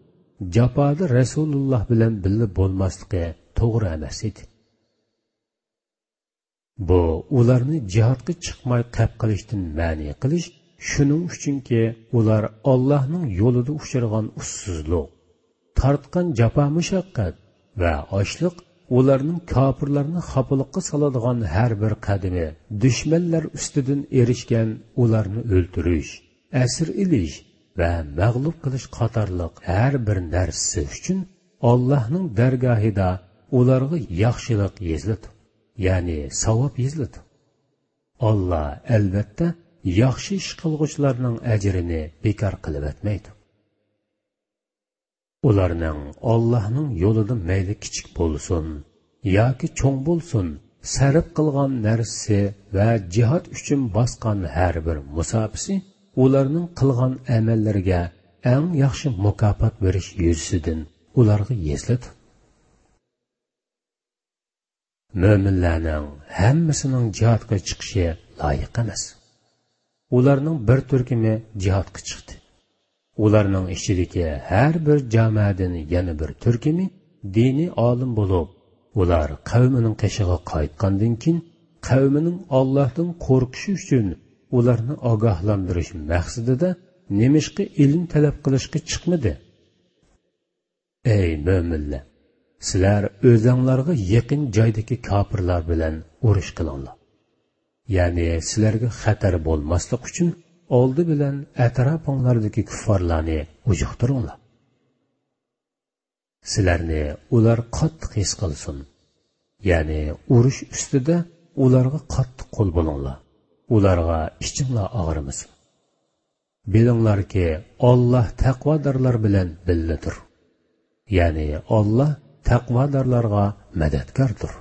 جاپادا رەسۇلۇللا بىلەن بىللە بولماسلىقى توغرا ئەمەس ئىدى. بۇ ئۇلارنى جىھادقا چىقماي قەپ قىلىشتىن مەنئى قىلىش، شۇنىڭ ئۈچۈنكى، ئۇلار ئاللاھنىڭ يولىدا ئۇچرىغان ئۇسسۇزلۇق، تارتقان جاپا-مۇشەققەت ۋە ئاچلىق، ئۇلارنىڭ كاپىرلارنى خاپىلىققا سالىدىغان ھەر بىر قەدىمى، دۈشمەنلەر ئۈستىدىن ئېرىشكەن ئۇلارنى ئۆلتۈرۈش، ئەسىر ئېلىش ۋە مەغلۇپ قىلىش قاتارلىق ھەر بىر نەرسىسى ئۈچۈن ئاللاھنىڭ دەرگاھىدا ئۇلارغا ياخشىلىق يېزىلىدۇ، يەنى ساۋاب يېزىلىدۇ. ئاللا، ئەلۋەتتە، ياخشى ئىش قىلغۇچىلارنىڭ ئەجرىنى بىكار قىلىۋەتمەيدۇ. ئۇلارنىڭ ئاللاھنىڭ يولىدا مەيلى كىچىك بولسۇن ياكى چوڭ بولسۇن، سەرپ قىلغان نەرسىسى ۋە جىھاد ئۈچۈن باسقان ھەر بىر مۇساپىسى ئۇلارنىڭ قىلغان ئەمەللىرىگە ئەڭ ياخشى مۇكاپات بېرىش يۈزىسىدىن ئۇلارغا يېزىلىدۇ. مۆمىنلەرنىڭ ھەممىسىنىڭ جىھادقا چىقىشى لايىق ئەمەس. ئۇلارنىڭ بىر تۈركۈمى جىھادقا چىقتى. ئۇلارنىڭ ئىچىدىكى ھەر بىر جامائەدىن يەنە بىر تۈركۈمى دىنىي ئالىم بولۇپ، ئۇلار قەۋمىنىڭ قېشىغا قايتقاندىن كېيىن، قەۋمىنىڭ ئاللاھتىن قورقۇشى ئۈچۈن ئۇلارنى ئاگاھلاندۇرۇش مەقسىتىدە نېمىشقا ئىلىم تەلەپ قىلىشقا چىقمىدى؟ ئەي مۆمىنلەر! سىلەر ئۆزەڭلارغا يېقىن جايدىكى كاپىرلار بىلەن ئۇرۇش قىلىڭلار. يەنى سىلەرگە خەتەر بولماسلىق ئۈچۈن ئالدى بىلەن ئەتراپىڭلاردىكى كۇففارلارنى ئۇجۇقتۇرۇڭلار. سىلەرنى ئۇلار قاتتىق ھېس قىلسۇن. يەنى ئۇرۇش ئۈستىدە ئۇلارغا قاتتىق قول بولۇڭلار. ئۇلارغا ئىچىڭلار ئاغرىمىسۇن. بىلىڭلاركى، ئاللا تەقۋادارلار بىلەن بىللىدۇر. يەنى ئاللا تەقۋادارلارغا مەدەتكاردۇر.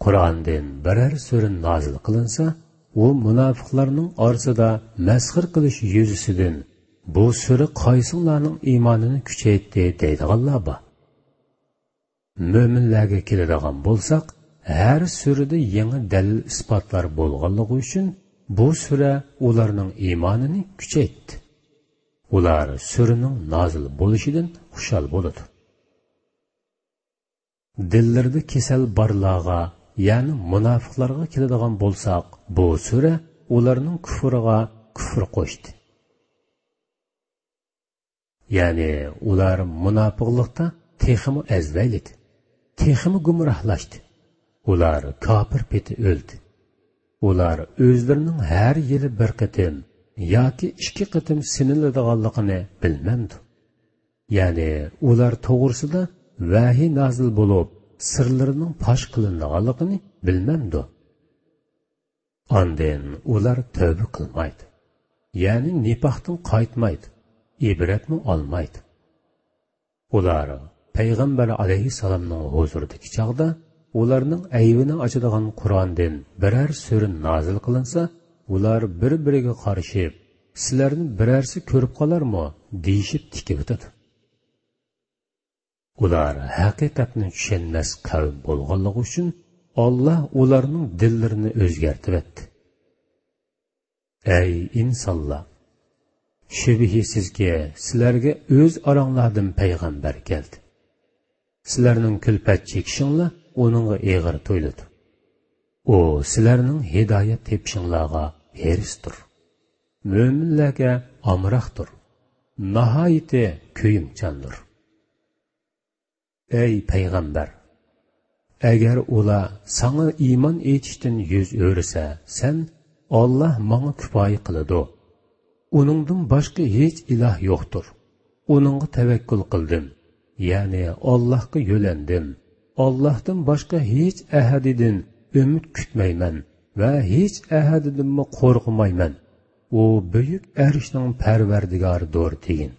قۇرئاندىن بىرەر سۈرە نازىل قىلىنسا، ئۇ مۇناپىقلارنىڭ ئارىسىدا مەسخىرە قىلىش يۈزىسىدىن، «بۇ سۈرە قايسىڭلارنىڭ ئىمانىنى كۈچەيتتى؟» دەيدىغانلار بار. مۆمىنلەرگە كېلىدىغان بولساق، ھەر سۈرىدە يېڭى دەلىل-ئىسپاتلار بولغانلىقى ئۈچۈن، بۇ سۈرە ئۇلارنىڭ ئىمانىنى كۈچەيتتى. ئۇلار سۈرىنىڭ نازىل بولۇشىدىن خۇشال بولىدۇ. دىللىرىدا كېسەل بارلارغا، يەنى مۇناپىقلارغا كېلىدىغان بولساق، بۇ سۈرە ئۇلارنىڭ كۇفرىغا كۇفر قوشتى. يەنى ئۇلار مۇناپىقلىقتا تېخىمۇ ئەزۋەيلىدى، تېخىمۇ گۇمراھلاشتى. ئۇلار كاپىر پېتى ئۆلدى. ئۇلار ئۆزلىرىنىڭ ھەر يىلى بىر قېتىم ياكى ئىككى قېتىم سىنىلىدىغانلىقىنى بىلمەمدۇ؟ يەنى ئۇلار توغرىسىدا ۋەھىي نازىل بولۇپ، سىرلىرىنىڭ پاش قىلىنىدىغانلىقىنى بىلمەمدۇ؟ ئاندىن ئۇلار تەۋبە قىلمايدۇ، يەنى نىپاقتىن قايتمايدۇ، ئىبرەتمۇ ئالمايدۇ. ئۇلار پەيغەمبەر ئەلەيھىسسالامنىڭ ھۇزۇرىدىكى چاغدا، ئۇلارنىڭ ئەيىبىنى ئاچىدىغان قۇرئاندىن بىرەر سۈرە نازىل قىلىنسا، ئۇلار بىر-بىرىگە قارىشىپ، «سىلەرنى بىرەرسى كۆرۈپ قالارمۇ؟» دېيىشىپ تىكىۋېتىدۇ. ئۇلار ھەقىقەتنى چۈشەنمەس قەۋم بولغانلىقى ئۈچۈن، ئاللا ئۇلارنىڭ دىللىرىنى ئۆزگەرتىۋەتتى. ئەي ئىنسانلار! شۈبھىسىزكى، سىلەرگە ئۆز ئاراڭلاردىن پەيغەمبەر كەلدى. سىلەرنىڭ كۈلپەت چېكىشىڭلار ئۇنىڭغا ئېغىر تۇيۇلىدۇ. ئۇ سىلەرنىڭ ھىدايەت تېپىشىڭلارغا ھېرىستۇر. مۆمىنلەرگە ئامراقتۇر. ناھايىتى كۆيۈمچاندۇر. ئەي پەيغەمبەر! ئەگەر ئۇلار ساڭا ئىمان ئېيتىشتىن يۈز ئۆرۈسە، سەن، «ئاللا ماڭا كۇپايە قىلىدۇ. ئۇنىڭدىن باشقا ھېچ ئىلاھ يوقتۇر. ئۇنىڭغا تەۋەككۈل قىلدىم، يەنى ئاللاھقا يۆلەندىم. ئاللاھتىن باشقا ھېچ ئەھەدىدىن ئۈمىد كۈتمەيمەن ۋە ھېچ ئەھەدىدىنمۇ قورقمايمەن. ئۇ بۈيۈك ئەرشنىڭ پەرۋەردىگارىدۇر» دېگىن.